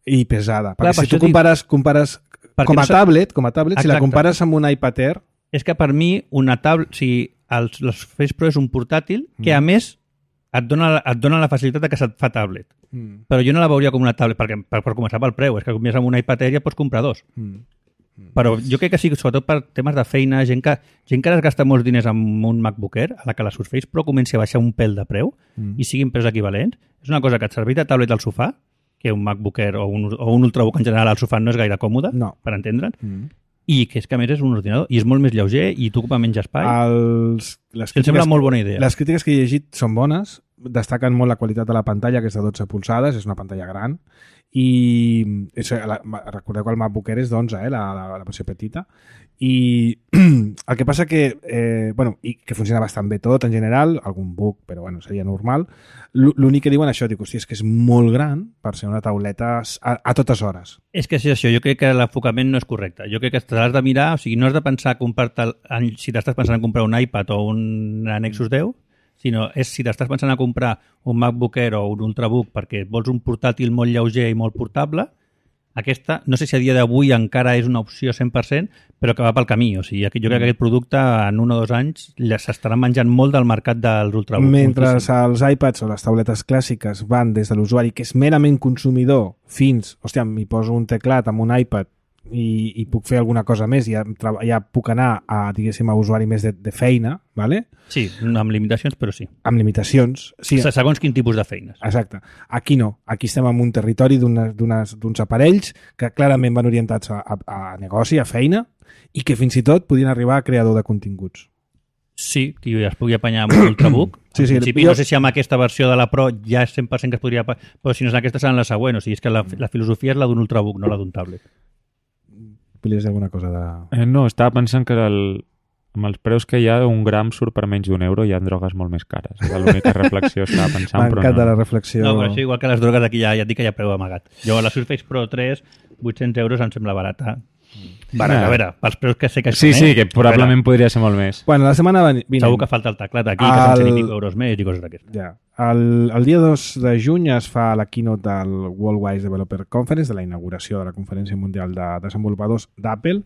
i pesada, perquè Clar, si tu compares, compares com a no tablet, com a tablet, Exacte. Si la compares amb un iPad Air... És que per mi una tablet... O sigui, el, el Surface Pro és un portàtil que, a més, et dona, et dona la facilitat de que se't fa tablet. Mm. Però jo no la veuria com una tablet, perquè per, per començar pel preu, és que més amb un iPad Air ja pots comprar dos. Mm. Mm. Però jo crec que sí, sobretot per temes de feina, gent que, gent que es gasta molts diners amb un MacBook Air, a la que la Surface Pro comenci a baixar un pèl de preu mm. i siguin preus equivalents, és una cosa que et serveix de tablet al sofà, que un MacBook Air o un, o un Ultrabook en general al sofà no és gaire còmode, no. per entendre'n, mm. i que és que a més és un ordinador i és molt més lleuger i tu ocupa menys espai. Els, les em sembla molt bona idea. Les crítiques que he llegit són bones, destaquen molt la qualitat de la pantalla, que és de dotze polzades, és una pantalla gran, i és, la, recordeu que el MacBook Air és d'onze, eh, la, la, la versió petita, i el que passa que eh, bueno, i que funciona bastant bé tot en general, algun bug, però bueno, seria normal. L'únic que diuen això, dic, hòstia, és que és molt gran per ser una tauleta a, a totes hores. És que és això, jo crec que l'enfocament no és correcte. Jo crec que t'has de mirar, o sigui, no has de pensar comprar-te, si t'estàs pensant en comprar un iPad o un Nexus deu, sinó és si t'estàs pensant a comprar un MacBook Air o un Ultrabook perquè vols un portàtil molt lleuger i molt portable, aquesta, no sé si a dia d'avui encara és una opció cent per cent, però que va pel camí. O sigui, jo crec que aquest producte en un o dos anys s'estaran menjant molt del mercat dels Ultrabook. Mentre els iPads o les tauletes clàssiques van des de l'usuari que és merament consumidor fins, hòstia, m'hi poso un teclat amb un iPad i, i puc fer alguna cosa més i ja, ja puc anar a, diguéssim, a usuari més de, de feina, ¿vale? Sí, amb limitacions, però sí. Amb limitacions. Sí. Segons quin tipus de feines. Exacte. Aquí no. Aquí estem en un territori d'uns aparells que clarament van orientats a, a, a negoci, a feina, i que fins i tot podien arribar a creador de continguts. Sí, que es pugui apanyar amb un Ultrabook. Sí, sí, en principi, jo... no sé si amb aquesta versió de la Pro ja és cent per cent que es podria... Però si no és aquesta, serà la següent. O sigui, és que la, la filosofia és la d'un Ultrabook, no la d'un tablet. Volies dir alguna cosa de... Eh, no, estava pensant que el, amb els preus que hi ha, un gram surt per menys d'un euro i hi ha drogues molt més cares. Era l'única reflexió que estava pensant, però no. la reflexió. No, però això igual que les drogues aquí ja, ja et dic que hi ha preu amagat. Jo a la Surface Pro tres, vuit-cents euros em sembla barata. Barat, a veure, pels preus que sé que sí, sí, que probablement podria ser molt més. Bueno, la setmana vinent... Segur que falta el teclat aquí, que són cent i pico euros més i coses d'aquestes. Ja. El, el dia dos de juny es fa la keynote del Worldwide Developer Conference, de la inauguració de la Conferència Mundial de Desenvolupadors d'Apple.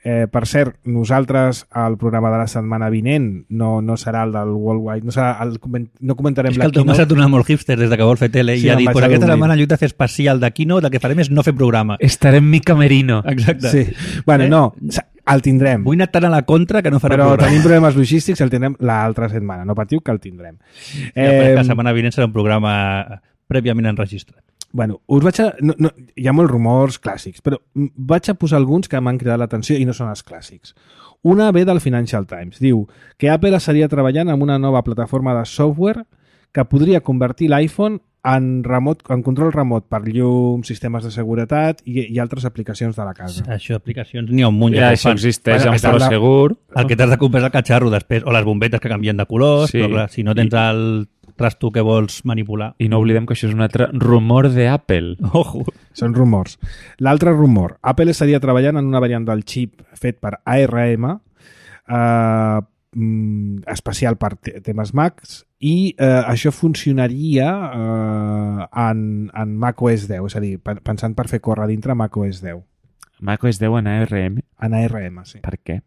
Eh, per cert, nosaltres el programa de la setmana vinent no, no serà el del Worldwide, no, serà el, no comentarem la keynote. És que el Tomàs s'ha tornat molt hipster des de que vol fer tele sí, i ha dit, pues aquesta setmana en lloc de fer especial de keynote, el que farem és no fer programa. Estarem mi camerino. Exacte. Sí. Bueno, eh? no, el tindrem. Vull anar tan a la contra que no farà però programa. Però tenim problemes logístics, el tindrem l'altra setmana. No patiu que el tindrem. Sí, eh, la setmana vinent serà un programa prèviament enregistrat. Bueno, us vaig a... No, no, hi ha molts rumors clàssics, però vaig a posar alguns que m'han cridat l'atenció i no són els clàssics. Una ve del Financial Times. Diu que Apple estaria treballant en una nova plataforma de software que podria convertir l'iPhone en, remot, en control remot per llum, sistemes de seguretat i, i altres aplicacions de la casa. Això, aplicacions, n'hi ha un munt. Ja, això existeix bueno, en Pro Segur. El que t'has de comprar és el catxarro després, o les bombetes que canvien de colors, sí. Però clar, si no tens I... el trasto que vols manipular. I no oblidem que això és un altre rumor d'Apple. Ojo. Són rumors. L'altre rumor, Apple estaria treballant en una variant del xip fet per A R M, eh, especial per temes Macs, i eh, això funcionaria eh, en, en macOS deu, és a dir, pensant per fer córrer dintre macOS deu. macOS deu en A R M? En A R M, sí. Per què?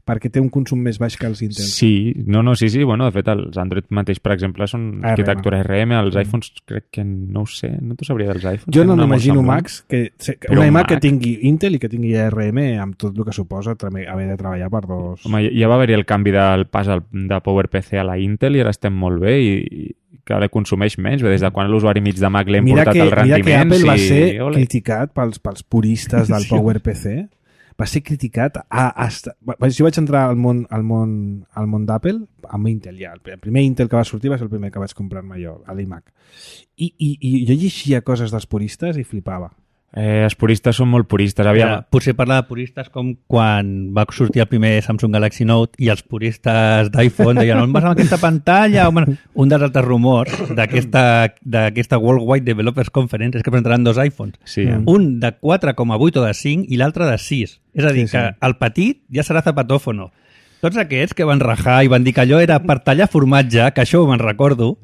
perquè té un consum més baix que els Intel. Sí, no, no, sí, sí. Bueno, de fet, els Android mateix, per exemple, són A R M. arquitectura A R M. Els iPhones, crec que no ho sé. No t'ho sabria dels iPhones. Jo no Tenen una molt m'imagino, semblant. Max, que que Però una iMac Mac- que tingui Intel i que tingui A R M amb tot el que suposa trame- haver de treballar per dos... Home, ja va haver-hi el canvi del pas al, de PowerPC a la Intel i ara estem molt bé i, i cada consumeix menys. Des de quan l'usuari mig de Mac l'hem Mira portat que, als mira que rendiments Apple va i... ser Ole. criticat pels, pels puristes del PowerPC. Va ser criticat a, hasta... Jo vaig entrar al món, al món, al món d'Apple amb Intel ja. El primer Intel que va sortir va ser el primer que vaig comprar-me jo, a l'iMac. I, i, I jo llegia coses dels puristes i flipava. Eh, els puristes són molt puristes. Aviam, Ara, potser parlar de puristes com quan va sortir el primer Samsung Galaxy Note i els puristes d'iPhone deien on vas amb aquesta pantalla? Home, un dels altres rumors d'aquesta d'aquesta Worldwide Developers Conference és que presentaran dos iPhones. sí, Mm. Un de quatre coma vuit o de cinc i l'altre de sis. És a dir, Sí, sí. que el petit ja serà zapatòfono. Tots aquests que van rajar i van dir que allò era per tallar formatge, que això me'n recordo,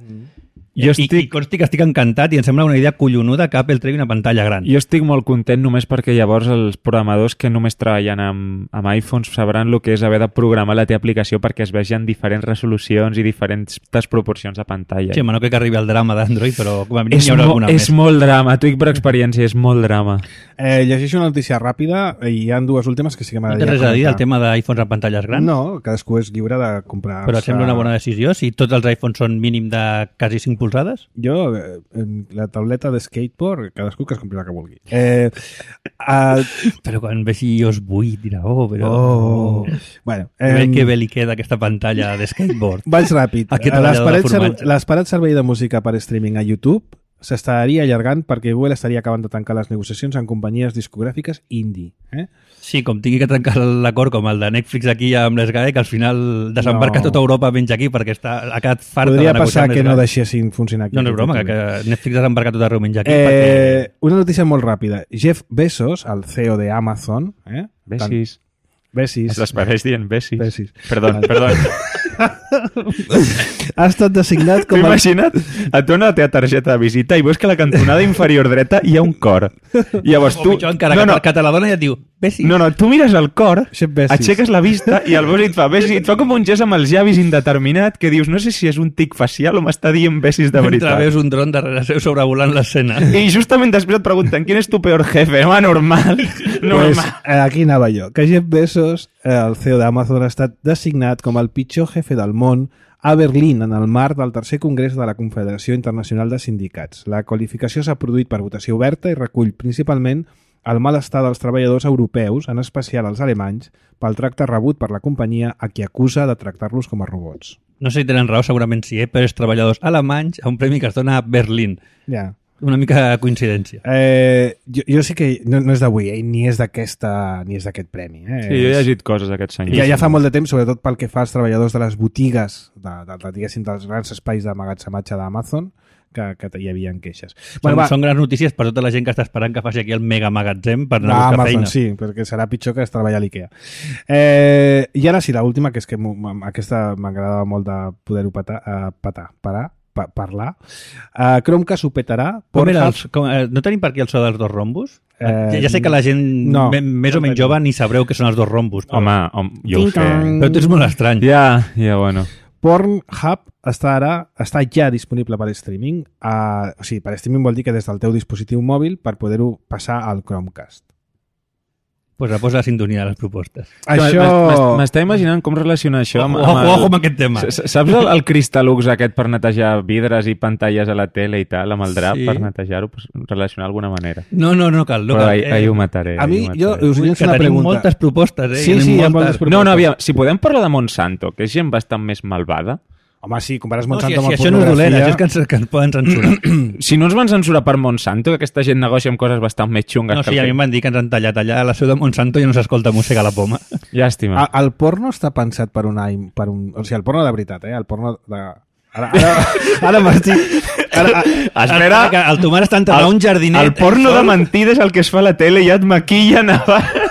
Jo I, estic- i consti que estic encantat i em sembla una idea collonuda que Apple tregui una pantalla gran. Jo estic molt content només perquè llavors els programadors que només treballen amb, amb iPhones sabran el que és haver de programar la teva aplicació perquè es vegin diferents resolucions i diferents proporcions de pantalla. Sí, home, no crec que arribi al drama d'Android, però com a mínim és, hi haurà mo alguna és més. molt drama, t'ho dic per experiència, és molt drama. Eh, llegeixo una notícia ràpida i hi ha dues últimes que sí que No m'agradaria té res a dir del comentar. tema d'iPhones amb pantalles grans? No, cadascú és lliure de comprar... Però et sembla una bona decisió si tots els iPhones són mínim de quasi cinc polzades? Jo, eh, la tauleta de skateboard, cadascú que es compri la que vulgui. Eh, uh, Però quan vegi iOS vuit dirà, oh, però... oh. Bueno, Eh, eh, que bé li queda aquesta pantalla de skateboard. vaig ràpid. Aquest Eh, treballador de L'esperat ser, formatge. l'esperat servei de música per streaming a YouTube s'estaria allargant perquè Google estaria acabant de tancar les negociacions amb companyies discogràfiques indie. Eh? Sí, com tingui que trencar l'acord com el de Netflix aquí amb l'Sgae, que al final desembarca No. tota Europa menys aquí perquè està, ha quedat farta Podria de negociar passar amb que no l'Sgae. deixessin funcionar aquí. No, no és broma, que, que Netflix desembarca tot arreu menys aquí Eh, perquè... una notícia molt ràpida. Jeff Bezos, el C E O de Amazon, eh? Besis. Besis. Es l'esperaix dient Besis. Besis. Perdó, perdó. Ha estat designat T'ho com a... imagina't, et dona la teva targeta de visita i veus que a la cantonada inferior dreta hi ha un cor. I llavors O tu... pitjor encara, no, que, no, que te la dona i et diu, Besis. no, no, tu mires el cor, Xep Besis. aixeques la vista i el veus i et fa Besis, i et fa com un gest amb els llavis indeterminat que dius, no sé si és un tic facial o m'està dient Besis de Mentre veritat. veus un dron darrere seu sobrevolant l'escena. I justament després et pregunten quin és tu peor jefe? Home, normal. Pues, normal. eh, aquí anava jo. Que Jeff Bezos, eh, el C E O d'Amazon, ha estat designat com el pitjor jefe del món a Berlín en el marc del tercer congrés de la Confederació Internacional de Sindicats. La qualificació s'ha produït per votació oberta i recull principalment el malestar dels treballadors europeus, en especial els alemanys, pel tracte rebut per la companyia a qui acusa de tractar-los com a robots. No sé si tenen raó, segurament sí, eh? Però és treballadors alemanys a un premi que es dona a Berlín. Ja. Una mica de coincidència. Eh, jo, jo sí que no, no és d'avui, eh, ni és d'aquesta ni és d'aquest premi. Eh? Sí, jo he llegit coses d'aquest senyor. Ja, ja fa molt de temps, sobretot pel que fa als treballadors de les botigues, de, de, de, diguéssim, dels grans espais d'emmagatzematge d'Amazon, que, que hi havia queixes. Són, són grans notícies per tota la gent que està esperant que faci aquí el mega magatzem per anar a buscar Amazon, feina. sí, perquè serà pitjor que es treballa a l'IKEA. Eh, I ara sí, l'última, que és que m'ho- aquesta m'agradava molt de poder-ho patar, uh, patar, parar, pa, parlar. Uh, Chromecast ho petarà. Com era Pornhub- els, com, eh, no tenim per aquí el so dels dos rombos? Eh, ja, ja sé que la gent no, me, més o no menys tenim. jove ni sabreu què són els dos rombos. Però, Home, home, jo ho sé. Ting-tong. però tu ets molt estrany. Ja, ja, bueno. Pornhub està ara està ja disponible per streaming. Uh, o sigui, per streaming vol dir que des del teu dispositiu mòbil per poder-ho passar al Chromecast. Pues la posa la sintonia de les propostes. Això... M'està imaginant com relacionar això amb... Ojo, amb el- ojo amb aquest tema. S- s- Saps el, el Crystalux aquest per netejar vidres i pantalles a la tele i tal, amb el drap Sí. per netejar-ho, pues, relacionar d'alguna manera. No, no, no cal. No Però cal. ahir, ahir ho mataré. A ahir mi, ho jo mataré. us volia que fer una tenim pregunta. moltes propostes, eh? Sí, Tenim sí, hi ha moltes. moltes propostes. No, no, aviam, si podem parlar de Monsanto, que és gent bastant més malvada, Home, sí, compares No, si, Monsanto si amb això no és dolent, això és que ens, que ens poden censurar. si no ens van censurar per Monsanto, que aquesta gent negocia amb coses bastant més xungues No, que sí, el a mi em van dir que ens han tallat allà a la seu de Monsanto i no s'escolta música a la poma. Llàstima. A- El porno està pensat per un any, per un, o sigui, el porno de veritat, eh? El porno de... Ara, ara, ara m'estic... Ara, Espera, El, el Tomàs està entrant a un jardinet. el porno de mentida és el que es fa a la tele i ja et maquillen abans.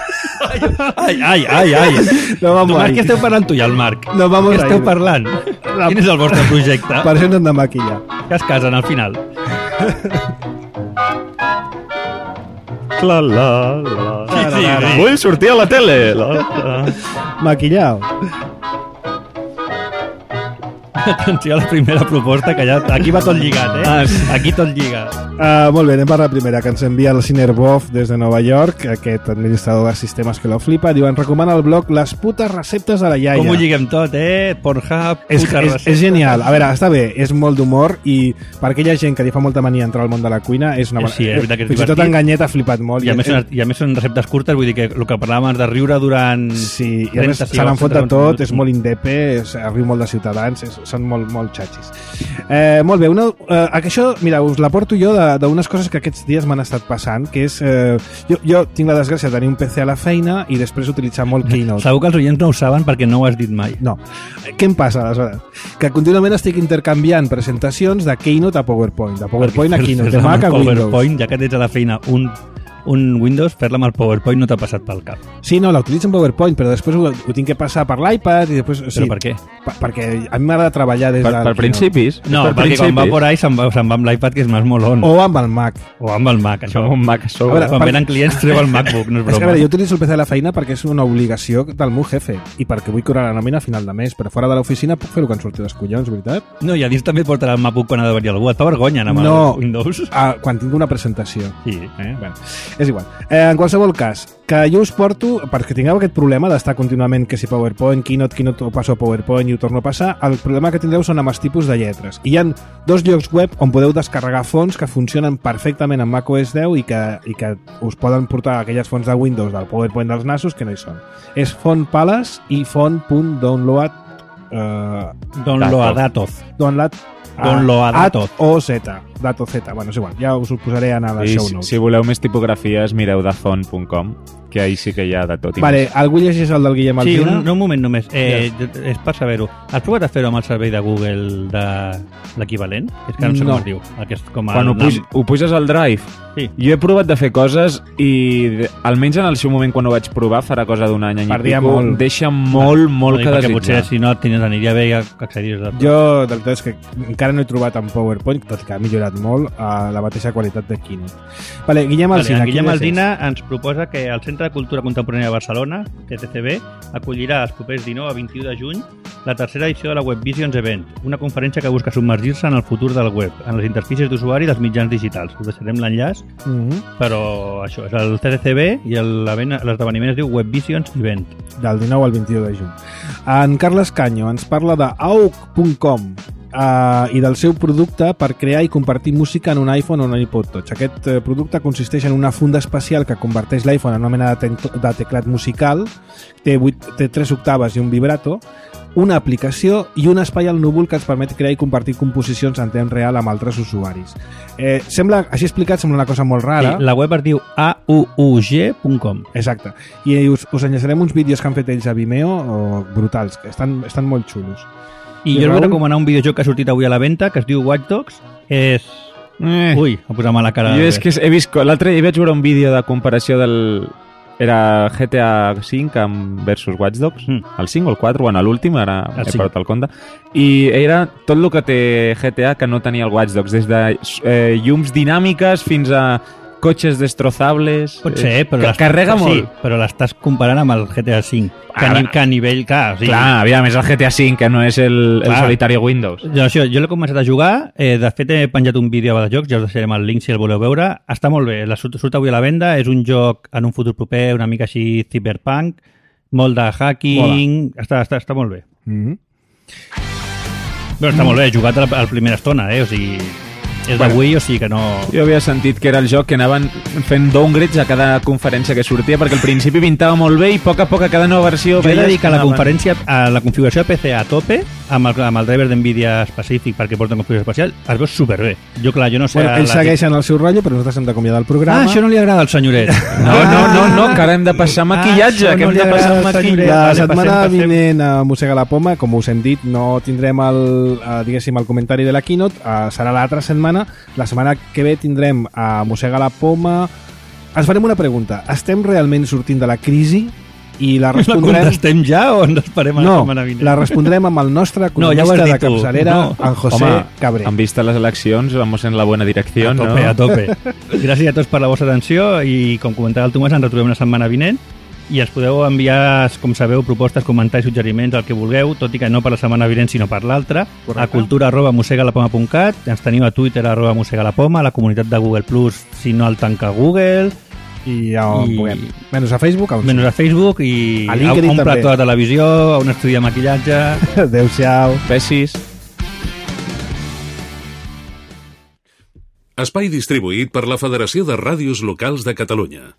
Ai, ai, ai, ai. No vamos Tomàs, ahí. què esteu parlant tu i el Marc? No vamos Què esteu ahí. parlant? Quin és el vostre projecte? per això no hem de maquillar. Que es casen al final. La, la, la. Sí, sí, sí. Vull sortir a la tele. La, la. Maquillao. Atenció a la primera proposta, que ja... Aquí va tot lligat, eh? Ah, sí. Aquí tot lligat. Uh, molt bé, anem per la primera, que ens envia el Cinerbov des de Nova York, aquest administrador de sistemes que lo flipa. Diu, ens recomana el blog Les putes receptes de la iaia. Com ho lliguem tot, eh? Pornhub, És, puta és, recepta. és genial. A veure, està bé, és molt d'humor i per aquella gent que li fa molta mania entrar al món de la cuina és una bona... Sí, és veritat que és Fins i tot divertit. en Ganyet ha flipat molt. I a, més, són, I a més són receptes curtes, vull dir que el que parlàvem abans de riure durant... Sí, i a més trenta se n'han fot de segons, tot, minuts. és molt indepe, és, riu molt de ciutadans, és, són molt, molt xatxis. Eh, molt bé, una, eh, això, mira, us la porto jo d'unes coses que aquests dies m'han estat passant, que és... Eh, jo, jo tinc la desgràcia de tenir un P C a la feina i després utilitzar molt Keynote. Segur que els oients no ho saben perquè no ho has dit mai. No. Què em passa, aleshores? Que contínuament estic intercanviant presentacions de Keynote a PowerPoint, de PowerPoint a Keynote, de Fer-la Mac a amb el Windows. PowerPoint, ja que tens a la feina un, un Windows, fer-la amb el PowerPoint no t'ha passat pel cap. Sí, no, la utilitzo en PowerPoint, però després ho, ho tinc que passar per l'iPad i després... Però per què? Per, perquè a mi m'agrada treballar des Per, del per Keynote. principis? No, per perquè quan va principis? por ahí se'n va, se'n va amb l'iPad, que és més molón. O amb el Mac. O amb el Mac, això. Som un Mac a A sobre. veure, Quan per- venen clients treu el MacBook, no és És que, a broma. veure, jo utilitzo el P C a la feina perquè és una obligació del meu jefe i perquè vull cobrar la nòmina a final de mes, però fora de l'oficina puc fer el que em surti dels collons, veritat? No, i a dins també et portarà el MacBook quan ha de venir algú. Et fa vergonya anar amb No. el Windows. Ah, quan tinc una presentació. Sí. Eh? Bueno, és igual. Eh, en qualsevol cas, que jo us porto, perquè tingueu aquest problema d'estar contínuament que si PowerPoint, Keynote, Keynote, ho passo a PowerPoint i ho torno a passar, el problema que tindreu són amb els tipus de lletres. I hi ha dos llocs web on podeu descarregar fonts que funcionen perfectament amb macOS deu i que, i que us poden portar aquelles fonts de Windows del PowerPoint dels nassos que no hi són. És Font Palace i font.download eh, Downloadatoz. download Downloadatoz. o Z, dato Z, bueno, és igual, ja us ho posaré en les I show si, notes. si voleu més tipografies, mireu de font punt com, que ahí sí que hi ha de tot. i Vale, més. algú llegeix el del Guillem Sí, Alsina? un, un moment només. Eh, És per saber-ho. Has provat a fer-ho amb el servei de Google de l'equivalent? És que no sé No. com es diu. Aquest, com Quan el ho, puj, nom. ho puges al Drive, Sí. jo he provat de fer coses i de- almenys en el seu moment quan ho vaig provar, farà cosa d'un any, any i Perdia pico, molt. deixa molt, molt No, que perquè desitjar. potser si no tenies, aniria bé que accediries a... Jo, del tot és que encara no he trobat en PowerPoint, tot i que ha millorat molt, a la mateixa qualitat de Keynote. Vale, Guillem Vale, Alsina. en Guillem quin és Alsina ens proposa que el Centre de Cultura Contemporània de Barcelona, T C C B, acollirà els propers dinou a vint-i-u de juny la tercera edició de la Web Visions Event, una conferència que busca submergir-se en el futur del web, en les interfícies d'usuari dels mitjans digitals. Us deixarem l'enllaç, ese? Mhm. però això és el C C C B i el- l'event- l'esdeveniment es diu Web Visions Event. Del dinou al vint-i-u de juny. En Carles Canyo ens parla de Aug punt com uh, i del seu producte per crear i compartir música en un iPhone o un iPod Touch. Aquest uh, producte consisteix en una funda especial que converteix l'iPhone en una mena de, te de teclat musical, té, vuit, té tres octaves i un vibrato, una aplicació i un espai al núvol que ens permet crear i compartir composicions en temps real amb altres usuaris. Eh, sembla, així explicat, sembla una cosa molt rara. Sí, la web es diu A U U G punt com. Exacte. I us, us enllaçarem uns vídeos que han fet ells a Vimeo o brutals, que estan, estan molt xulos. I I jo us Raül? vull recomanar un videojoc que ha sortit avui a la venda que es diu Watch Dogs. És... Eh. Ui, m'ha posat mala cara. Jo és que he vist... L'altre dia vaig veure un vídeo de comparació del... Era G T A cinc amb versus Watch Dogs, Mm. el cinc o el quatre, bueno, l'últim, ara El he cinc. perdut el compte, i era tot el que té G T A que no tenia el Watch Dogs, des de eh, llums dinàmiques fins a cotxes destrozables. Pot ser, però... que l'estàs- carrega sí, molt. però l'estàs comparant amb el G T A cinc, que, a, Ara- ni, que a nivell... Clar, o sigui, Clar, aviam, és el G T A cinc, que no és el, el Clar. solitari Windows. Jo, això, jo l'he començat a jugar, eh, de fet he penjat un vídeo de jocs, ja us deixarem el link si el voleu veure. Està molt bé, la surt, surt avui a la venda, és un joc en un futur proper, una mica així cyberpunk, molt de hacking, està, està, està molt bé. Mm -hmm. Però està molt bé, he jugat a la, a la primera estona, eh? O sigui, és d'avui, o sigui que no... Jo havia sentit que era el joc que anaven fent downgrades a cada conferència que sortia, perquè al principi pintava molt bé i a poc a poc a cada nova versió... Jo he de veies dir que la anaven- conferència, a la configuració de P C a tope, amb el, amb el driver d'NVIDIA específic perquè porta configuració especial, es veu superbé. Jo, clar, jo no sé... Bueno, a ells la- segueixen el seu rotllo, però nosaltres hem d'acomiadar el programa. Ah, això no li agrada al senyoret. No, no, no, no, que ara hem de passar maquillatge, Ah, això que no hem li de passar agrada al maquillatge. La Vale, setmana passem, passem. vinent a Mossega la Poma, com us hem dit, no tindrem el, eh, diguéssim, el comentari de la keynote, eh, serà l'altra setmana. La setmana que ve tindrem a Mossega la Poma. Ens farem una pregunta. Estem realment sortint de la crisi? I la La respondrem... contestem ja o ens esperem a la No, setmana vinent? la respondrem amb el nostre No, ja ho economista has de dit tu. capçalera, No. en José Home, Cabré. en vista les eleccions, vamos en la buena direcció, A tope, no? a tope. Gràcies a tots per la vostra atenció i, com comentava el Tomàs, ens retrobem la setmana vinent i ens podeu enviar, com sabeu, propostes, comentaris, suggeriments, el que vulgueu, tot i que no per la setmana vinent, sinó per l'altra, a cultura arroba mosegalapoma punt cat, ens teniu a Twitter arroba mosegalapoma, a la comunitat de Google Plus, si no el tanca Google, I ja on I- puguem. Menys a Facebook, on menys a Facebook i A a LinkedIn un també. plató de televisió, a un estudi de maquillatge... Adéu-siau. Besis. Espai distribuït per la Federació de Ràdios Locals de Catalunya.